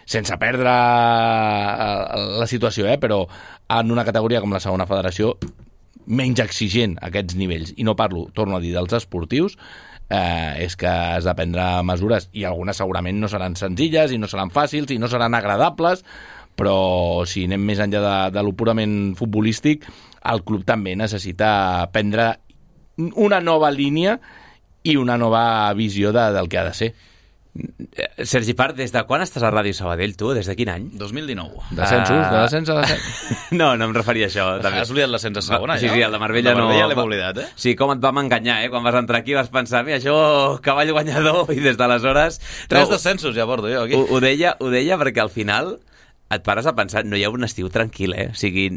sense perdre la situació, però en una categoria com la segona federació, menys exigent aquests nivells, i no parlo, torno a dir, dels esportius, és que has de prendre mesures, i algunes segurament no seran senzilles, i no seran fàcils, i no seran agradables, però si anem més enllà de lo purament futbolístic, el club també necessita prendre una nova línia i una nova visió del que ha de ser. Sergi Part, des de quan estàs a Ràdio Sabadell, tu? Des de quin any? 2019. De descens a descens? No em referia a això. També. Has oblidat l'ascens a segona, ja? Sí, el de Marbella no... El de Marbella l'hem oblidat, Sí, com et vam enganyar, Quan vas entrar aquí vas pensar, mira, això, cavall guanyador, i des d'aleshores... 3 descensos ja porto jo aquí. Ho deia perquè al final et pares a pensar, no hi ha un estiu tranquil, O sigui,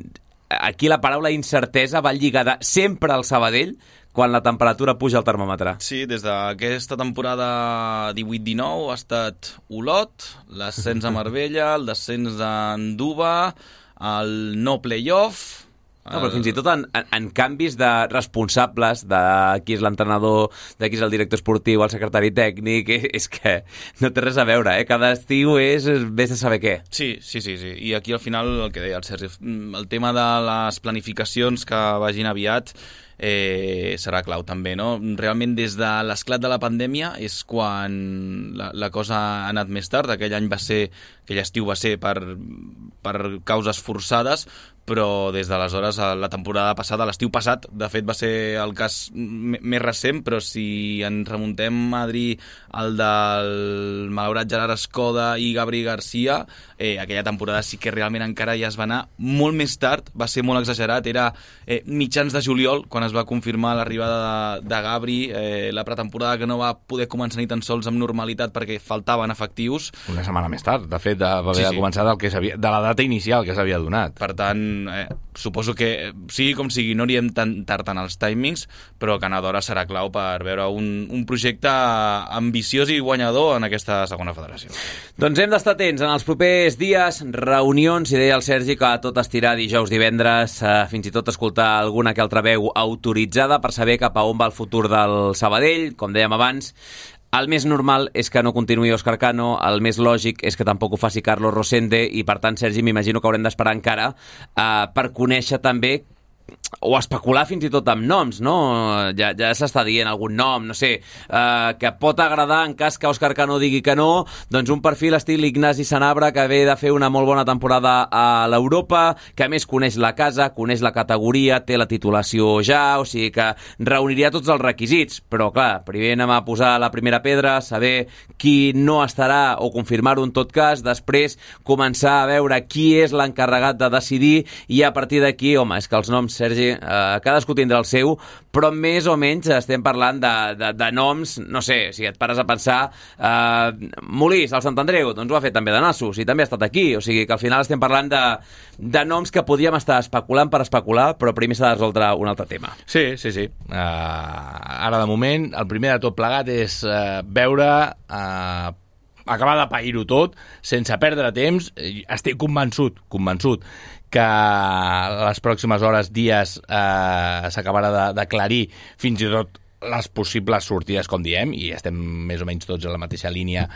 aquí la paraula incertesa va lligada sempre al Sabadell quan la temperatura puja al termòmetre. Sí, des d'aquesta temporada 18-19 ha estat Olot, l'ascens a Marbella, el descens d'Anduba, el no playoff... No, però fins i tot en canvis de responsables, de qui és l'entrenador, de qui és el director esportiu, el secretari tècnic, és que no té res a veure, Cada estiu vés de saber què. Sí. I aquí al final el que deia el Sergi, el tema de les planificacions que vagin aviat serà clau també, no? Realment des de l'esclat de la pandèmia és quan la cosa ha anat més tard. Aquell estiu va ser per causes forçades, però des d'aleshores, la temporada passada, l'estiu passat, de fet va ser el cas més recent, però si ens remuntem, Adri, el del malaurat Gerard Escoda i Gabri Garcia, aquella temporada sí que realment encara ja es va anar molt més tard, va ser molt exagerat, era mitjans de juliol, quan es va confirmar l'arribada de Gabri, la pretemporada que no va poder començar ni tan sols amb normalitat perquè faltaven efectius. Una setmana més tard, de fet, va haver de començar de la data inicial que s'havia donat. Per tant, suposo que sigui com sigui, no anirem tan tard en els timings, però que Canadora serà clau per veure un projecte ambiciós i guanyador en aquesta segona federació. Doncs hem d'estar atents en els propers dies, reunions, i deia el Sergi que tot estirar dijous, divendres, fins i tot escoltar alguna que altra veu autoritzada per saber cap a on va el futur del Sabadell. Com dèiem abans, el més normal és que no continuï Òscar Cano, el més lògic és que tampoc ho faci Carlos Rosende, i per tant, Sergi, m'imagino que haurem d'esperar encara per conèixer també o especular fins i tot amb noms, no? Ja s'està dient algun nom, no sé, que pot agradar en cas que Òscar Cano digui que no, doncs un perfil estil Ignasi Sanabra, que ve de fer una molt bona temporada a l'Europa, que a més coneix la casa, coneix la categoria, té la titulació ja, o sigui que reuniria tots els requisits, però clar, primer anem a posar la primera pedra, saber qui no estarà o confirmar-ho en tot cas, després començar a veure qui és l'encarregat de decidir, i a partir d'aquí, home, és que els noms, Sergi, cadascú tindrà el seu, però més o menys estem parlant de noms, no sé, si et pares a pensar, Molís, el Sant Andreu, doncs ho ha fet també de nassos, i també ha estat aquí, o sigui que al final estem parlant de noms que podríem estar especulant per especular, però primer s'ha de resoldre un altre tema. Sí. Ara, de moment, el primer de tot plegat és veure... acabar de pair-ho tot, sense perdre temps. Estic convençut que les pròximes hores, dies, s'acabarà d'aclarir fins i tot les possibles sortides, com diem, i estem més o menys tots a la mateixa línia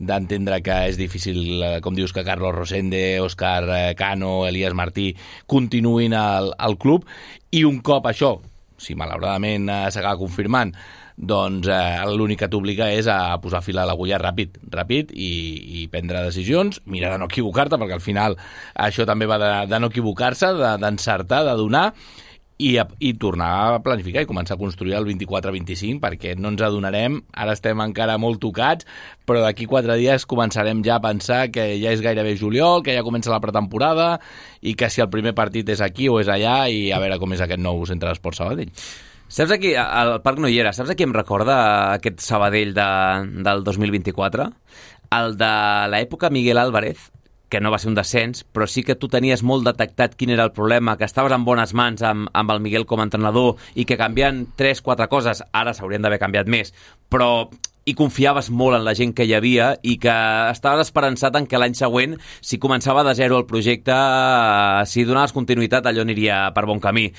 d'entendre que és difícil, com dius, que Carlos Rosende, Òscar Cano, Elias Martí continuïn al club, i un cop això, si malauradament s'acaba confirmant, doncs l'únic que t'obliga és a posar fil a l'agulla ràpid i prendre decisions, mirar de no equivocar-te, perquè al final això també va de no equivocar-se, d'encertar, de donar, i tornar a planificar i començar a construir el 24-25, perquè no ens adonarem, ara estem encara molt tocats, però d'aquí 4 dies començarem ja a pensar que ja és gairebé juliol, que ja comença la pretemporada, i que si el primer partit és aquí o és allà, i a veure com és aquest nou centre d'Esports Sabadell. Saps aquí, al Parc no hi era, saps a qui em recorda aquest Sabadell del 2024? El de l'època Miguel Álvarez, que no va ser un descens, però sí que tu tenies molt detectat quin era el problema, que estaves en bones mans amb el Miguel com a entrenador i que canviant 3-4 coses, ara s'haurien d'haver canviat més, però i confiaves molt en la gent que hi havia i que estaves esperançat en que l'any següent, si començava de zero el projecte, si donaves continuïtat, allò aniria per bon camí.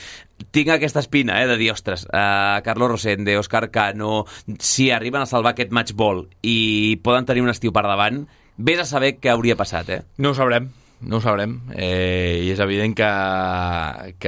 Tinc aquesta espina, de dir, ostres, Carlos Rosende, Òscar Cano, si arriben a salvar aquest match ball i poden tenir un estiu per davant, vés a saber què hauria passat, No ho sabrem. I és evident que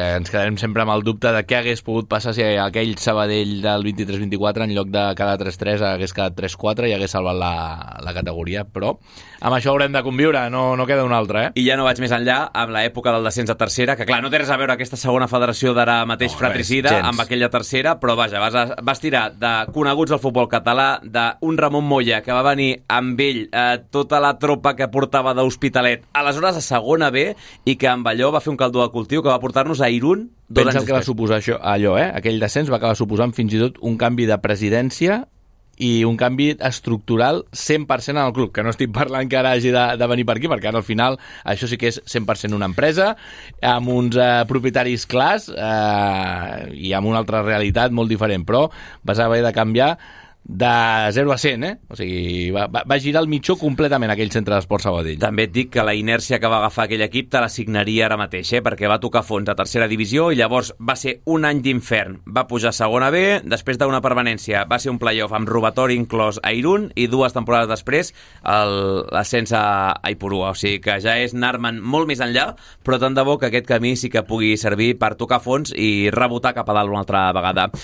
ens quedarem sempre amb el dubte de què hagués pogut passar si aquell Sabadell del 23-24 en lloc de quedar 3-3 hagués quedat 3-4 i hagués salvat la categoria, però amb això haurem de conviure, no queda una altra. I ja no vaig més enllà amb l'època del descens a tercera, que clar, no té res a veure aquesta segona federació d'ara mateix fratricida amb aquella tercera, però vaja, vas tirar de coneguts del futbol català, d'un Ramon Moya que va venir amb ell tota la tropa que portava d'Hospitalet, aleshores a segona B, i que amb allò va fer un caldo de cultiu que va portar-nos a Irún 2 anys després. Que va suposar allò, aquell descens va acabar suposant fins i tot un canvi de presidència i un canvi estructural 100% en el club, que no estic parlant que ara hagi de venir per aquí, perquè ara al final això sí que és 100% una empresa, amb uns propietaris clars i amb una altra realitat molt diferent, però vas haver de canviar de 0 a 100, O sigui, va girar el mitjó completament aquell centre d'esport Sabadell. També et dic que la inèrcia que va agafar aquell equip te l'assignaria ara mateix, perquè va tocar fons a tercera divisió i llavors va ser un any d'infern. Va pujar a segona B, després d'una permanència va ser un playoff amb robatori inclòs a Irún i 2 temporades després l'ascens a Ipurua. O sigui que ja és anar-me'n molt més enllà, però tant de bo que aquest camí sí que pugui servir per tocar fons i rebotar cap a dalt una altra vegada.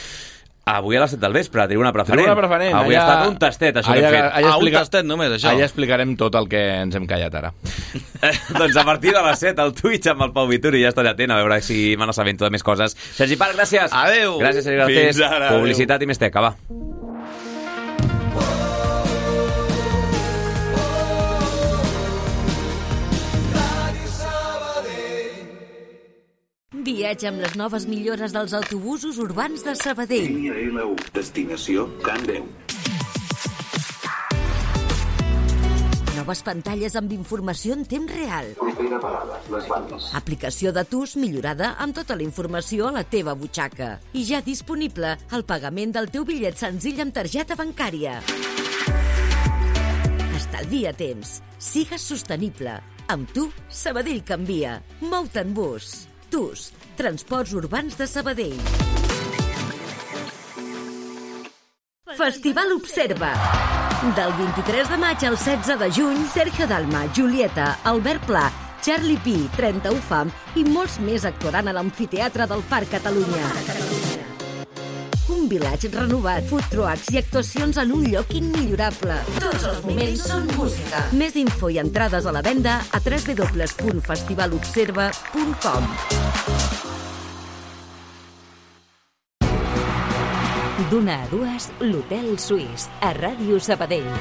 Avui a les 7 del vespre, Tribuna Preferent. Avui ha estat un tastet, això que hem fet. Un tastet només, això. Allà explicarem tot el que ens hem callat ara. Doncs a partir de les 7, al Twitch amb el Pau Vituri, ja estaré atent a veure si me n'assabento de més coses. Sergi Parc, gràcies. Adéu. Gràcies, Sergi Garcés. Fins ara. Publicitat i més teca, va. Viatja amb les noves millores dels autobusos urbans de Sabadell. Línia L1, destinació Can 10. Noves pantalles amb informació en temps real. Propera parada, les bandes. Aplicació de TUS millorada amb tota la informació a la teva butxaca. I ja disponible el pagament del teu bitllet senzill amb targeta bancària. Estalvia temps. Sigues sostenible. Amb tu, Sabadell canvia. Mou-te en bus. TUS, Transports Urbans de Sabadell. Festival Observa. Del 23 de maig al 16 de juny, Sergio Dalma, Julieta, Albert Pla, Charlie Pi, 31 Fam i molts més actuaran a l'Amfiteatre del Parc Catalunya. Un vilatge renovat, food trucks i actuacions en un lloc immillorable. Tots els moments són música. Més info i entrades a la venda a www.festivalobserva.com. D'una a dues, l'Hotel Suís, a Ràdio Sabadell.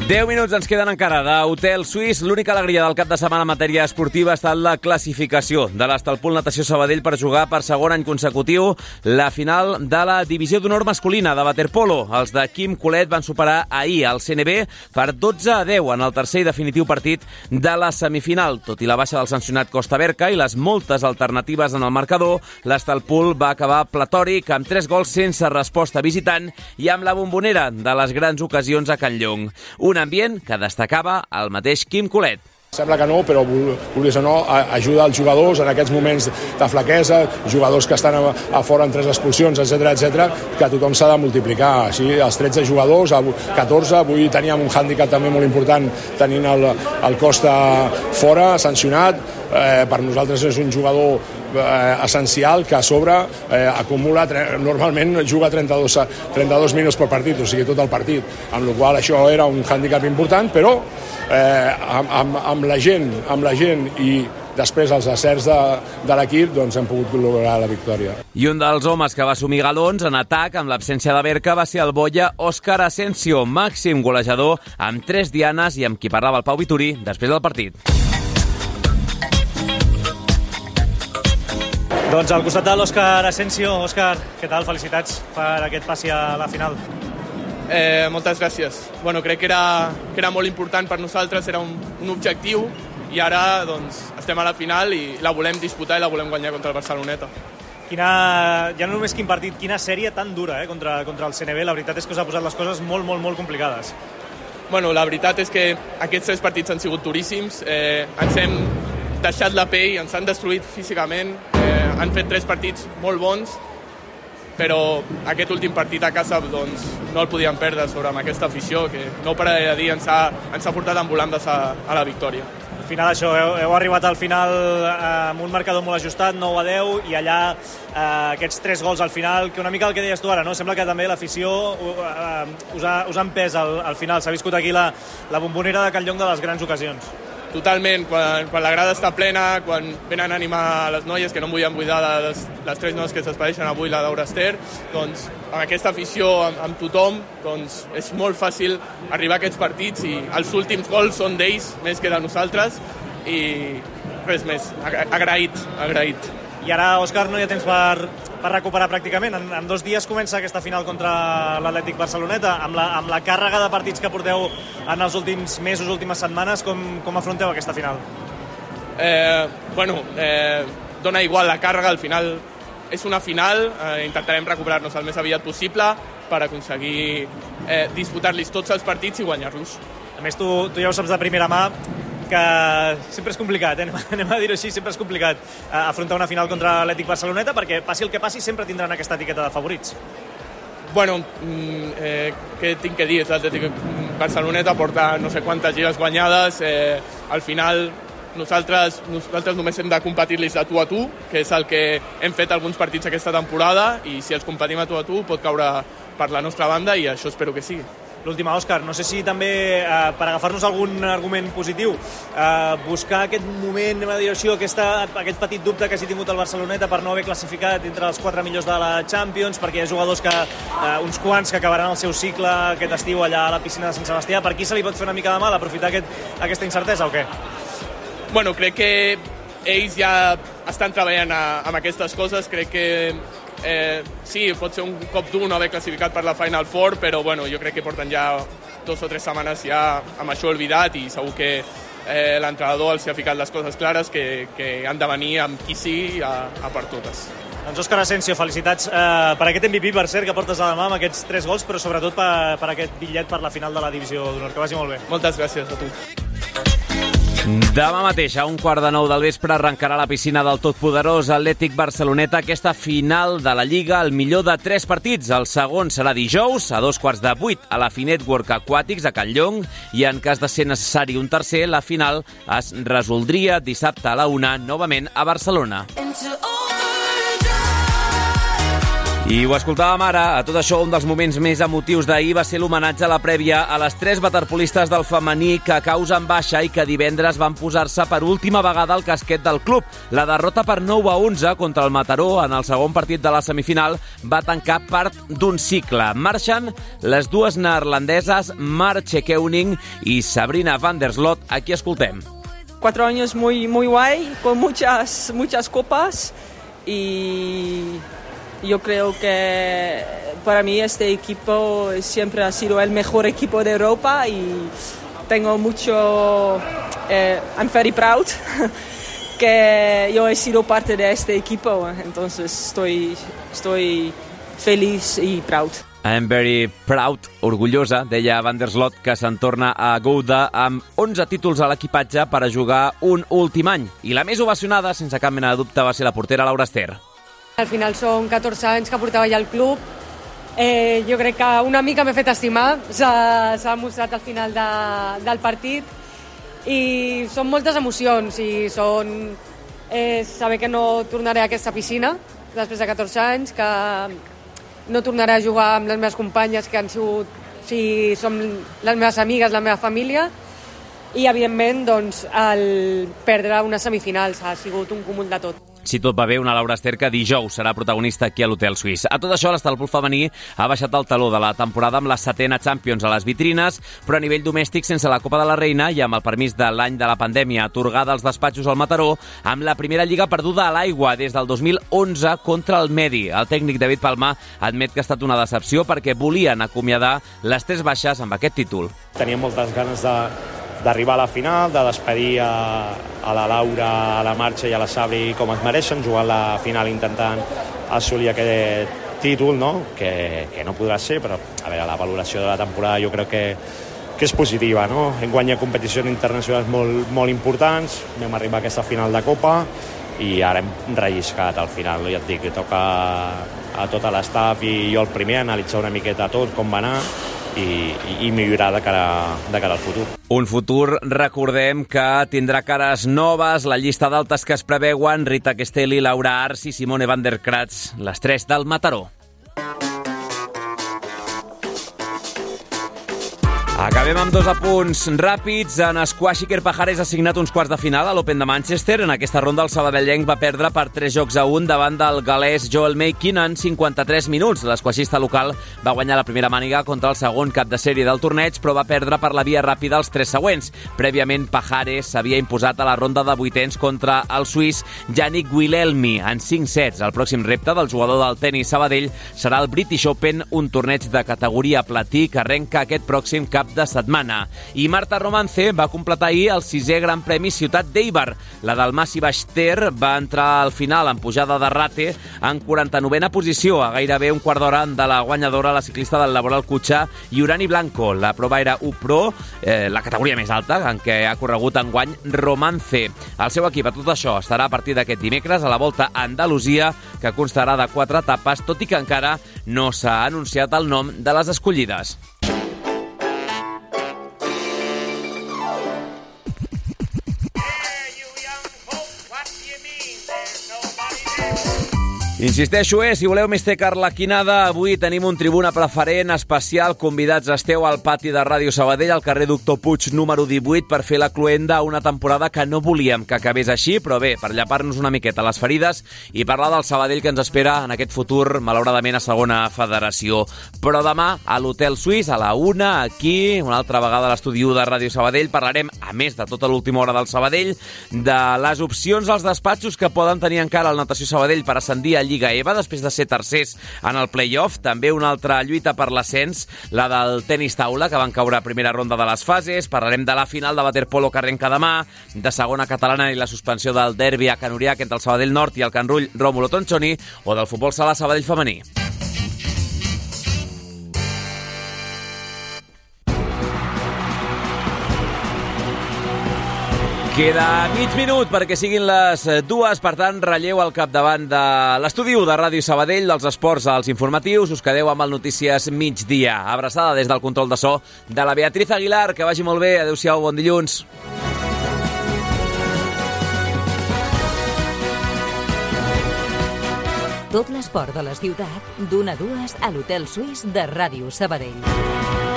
10 minuts ens queden encara d'Hotel Suís. L'única alegria del cap de setmana en matèria esportiva ha estat la classificació de l'Estalpul Natació Sabadell per jugar per segon any consecutiu la final de la divisió d'honor masculina de waterpolo. Els de Quim Colet van superar ahir el CNB per 12-10 en el tercer i definitiu partit de la semifinal. Tot i la baixa del sancionat Costa Berca i les moltes alternatives en el marcador, l'Estalpul va acabar platòric amb 3 gols sense resposta visitant i amb la bombonera de les grans ocasions a Can Llong. Un ambient que destacava el mateix Quim Colet. Sembla que no, però vulguis o no, ajuda els jugadors en aquests moments de flaquesa, jugadors que estan a fora en 3 expulsions, etc, que tothom s'ha de multiplicar. Així, els 13 jugadors, 14, avui teníem un hàndicap també molt important tenint el Costa fora, sancionat. Per nosaltres és un jugador essencial que a sobre acumula, normalment juga 32 minuts per partit, o sigui tot el partit, amb la qual cosa això era un hàndicap important, però amb la gent i després els acerts de l'equip doncs hem pogut lograr la victòria. I un dels homes que va assumir galons en atac amb l'absència de Berca va ser el boia Òscar Asensio, màxim golejador amb 3 dianes i amb qui parlava el Pau Vituri després del partit. Doncs al costat de l'Òscar Asensio. Òscar, què tal? Felicitats per aquest passi a la final. Moltes gràcies. Bueno, crec que era molt important per nosaltres, era un objectiu, i ara doncs, estem a la final i la volem disputar i la volem guanyar contra el Barceloneta. Ja no només quin partit, quina sèrie tan dura contra el CNB. La veritat és que us ha posat les coses molt, molt, molt complicades. Bueno, la veritat és que aquests 3 partits han sigut duríssims. Ens hem deixat la pell, ens han destruït físicament. Han fet 3 partits molt bons, però aquest últim partit a casa doncs, no el podíem perdre sobre amb aquesta afició que no pararé de dir, ens ha portat en volandes a la victòria. Al final això, heu arribat al final amb un marcador molt ajustat, 9-10, i allà aquests 3 gols al final, que una mica el que deies tu ara, no? Sembla que també l'afició us ha empès al final. S'ha viscut aquí la bombonera de Can Llong de les grans ocasions. Totalment, quan la grada està plena, quan venen a animar les noies, que no em vull buidar les 3 noies que s'espedeixen avui, la Daura Ester, doncs amb aquesta afició, amb tothom, doncs és molt fàcil arribar a aquests partits i els últims gols són d'ells més que de nosaltres i res més, agraït. I ara, Òscar, no hi ha temps per recuperar pràcticament. En 2 dies comença aquesta final contra l'Atlètic Barceloneta. Amb la càrrega de partits que porteu en els últims mesos, últimes setmanes, com afronteu aquesta final? Dona igual la càrrega, al final és una final, intentarem recuperar-nos el més aviat possible per aconseguir disputar-los tots els partits i guanyar-los. A més, tu ja ho saps de primera mà, que sempre és complicat, anem a dir-ho així, sempre és complicat afrontar una final contra l'Atlètic Barceloneta, perquè passi el que passi sempre tindran aquesta etiqueta de favorits. Bueno, què tinc que dir? L'Atlètic Barceloneta porta no sé quantes lligues guanyades, al final nosaltres només hem de competir-los de tu a tu, que és el que hem fet alguns partits aquesta temporada, i si els competim a tu pot caure per la nostra banda i això espero que sigui. L'última, Òscar, no sé si també, per agafar-nos algun argument positiu, buscar aquest moment, anem a dir així, aquest petit dubte que hagi tingut el Barceloneta per no haver classificat entre els 4 millors de la Champions, perquè hi ha jugadors uns quants que acabaran el seu cicle aquest estiu allà a la piscina de Sant Sebastià. Per aquí se li pot fer una mica de mal aprofitar aquesta incertesa o què? Bueno, crec que ells ja estan treballant amb aquestes coses, crec que sí, pot ser un cop dur no haver classificat per la Final Four, però bueno, jo crec que porten ja 2 o 3 setmanes ja amb això olvidat i segur que l'entrenador els ha ficat les coses clares que han de venir amb qui sigui a per totes. Doncs Òscar Asensio, felicitats per aquest MVP, per cert, que portes a la mà amb aquests 3 gols, però sobretot per aquest bitllet per la final de la Divisió d'Honor. Que vagi molt bé. Moltes gràcies a tu. Demà mateix, a 15:15 del vespre, arrencarà la piscina del totpoderós Atlètic Barceloneta aquesta final de la Lliga, el millor de 3 partits. El segon serà dijous, a 7:15 a la Finetwork Aquàtics, a Can Llong, i en cas de ser necessari un tercer, la final es resoldria dissabte a la 1, novament a Barcelona. I ho escoltàvem ara. A tot això, un dels moments més emotius d'ahir va ser l'homenatge a la prèvia a les 3 waterpolistes del femení que causen baixa i que divendres van posar-se per última vegada al casquet del club. La derrota per 9-11 contra el Mataró en el segon partit de la semifinal va tancar part d'un cicle. Marxen les 2 neerlandeses Marche Keuning i Sabrina van der Slot. Aquí escoltem. 4 años muy guay, con muchas copas y yo creo que para mí este equipo siempre ha sido el mejor equipo de Europa y tengo mucho... I'm very proud que yo he sido parte de este equipo, entonces estoy feliz y proud. I'm very proud, orgullosa, deia Van der Slot, que se'n torna a Gouda amb 11 títols a l'equipatge per a jugar un últim any. I la més ovacionada, sense cap mena de dubte, va ser la portera Laura Ester. Al final són 14 anys que portava ja al club. Jo crec que una mica m'he fet estimar, s'ha mostrat al final del partit i són moltes emocions i són saber que no tornaré a aquesta piscina després de 14 anys, que no tornaré a jugar amb les meves companyes que han sigut, som les meves amigues, la meva família, i evidentment doncs, el perdre unes semifinals ha sigut un cúmul de tot. si tot va bé, una Laura Ester que dijous serà protagonista aquí a l'Hotel Suís. A tot això, l'Estalpol femení ha baixat el taló de la temporada amb la 7ª Champions a les vitrines, però a nivell domèstic sense la Copa de la Reina i amb el permís de l'any de la pandèmia atorgada als despatxos al Mataró, amb la primera lliga perduda a l'aigua des del 2011 contra el Medi. El tècnic David Palma admet que ha estat una decepció perquè volien acomiadar les 3 baixes amb aquest títol. Teníem moltes ganes d'arribar a la final, de despedir a la Laura, a la Marxa i a la Sabri com es mereixen, jugant la final intentant assolir aquest títol, no? Que no podrà ser, però a veure, la valoració de la temporada jo crec que és positiva, no? Hem guanyat competicions internacionals molt importants, vam arribar a aquesta final de Copa i ara hem relliscat al final, ja et dic, que toca a tot l'estaf i jo el primer analitzar una miqueta tot, com va anar i millorar de cara al futur. Un futur, recordem, que tindrà cares noves, la llista d'altes que es preveuen: Rita Castelli, Laura Arce i Simone van der Kratz, les 3 del Mataró. Acabem amb 2 apunts ràpids. En esquash, Iker Pajares ha signat uns quarts de final a l'Open de Manchester. En aquesta ronda el sabadellenc va perdre per 3-1 davant del galès Joel Makin en 53 minuts. L'esquaixista local va guanyar la primera màniga contra el segon cap de sèrie del torneig, però va perdre per la via ràpida els 3 següents. Prèviament, Pajares s'havia imposat a la ronda de vuitens contra el suís Yannick Guilhelmi en 5 sets. El pròxim repte del jugador del tenis Sabadell serà el British Open, un torneig de categoria platí que arrenca aquest pròxim cap de setmana. I Marta Romance va completar ahir el 6è Gran Premi Ciutat d'Eibar. La del Massi Baix-Ter va entrar al final en pujada de rate en 49a posició, a gairebé un quart d'hora de la guanyadora, la ciclista del Laboral Cutxa, Iurani Blanco. La prova era U-Pro, la categoria més alta en què ha corregut enguany Romance. El seu equip a tot això estarà a partir d'aquest dimecres a la Volta a Andalusia, que constarà de 4 etapes, tot i que encara no s'ha anunciat el nom de les escollides. Insisteixo, si voleu més teca arlequinada, avui tenim un tribuna preferent especial. Convidats esteu al pati de Ràdio Sabadell, al carrer Doctor Puig número 18, per fer la cloenda a una temporada que no volíem que acabés així, però bé, per llapar-nos una miqueta les ferides i parlar del Sabadell que ens espera en aquest futur, malauradament, a segona federació. Però demà, a l'Hotel Suís, a la 1, aquí, una altra vegada a l'estudi de Ràdio Sabadell, parlarem, a més de tota l'última hora del Sabadell, de les opcions als despatxos que poden tenir encara el Natació Sabadell per ascendir a Lliga EVA, després de ser tercers en el play-off. També una altra lluita per l'ascens, la del tenis taula, que van caure a primera ronda de les fases. Parlarem de la final de waterpolo que arrenca demà, de segona catalana i la suspensió del derbi a Can Uriac entre el Sabadell Nord i el Can Rull Rómulo Tonchoni, o del futbol sala Sabadell femení. Queda mig minut perquè siguin les 2, per tant, relleu al capdavant de l'estudi de Ràdio Sabadell, dels esports als informatius. Us quedeu amb el Notícies Migdia. Abraçada des del control de so de la Beatriz Aguilar. Que vagi molt bé. Adéu-siau, bon dilluns. Tot l'esport de la ciutat, d'1 a 2 a l'Hotel Suís de Ràdio Sabadell.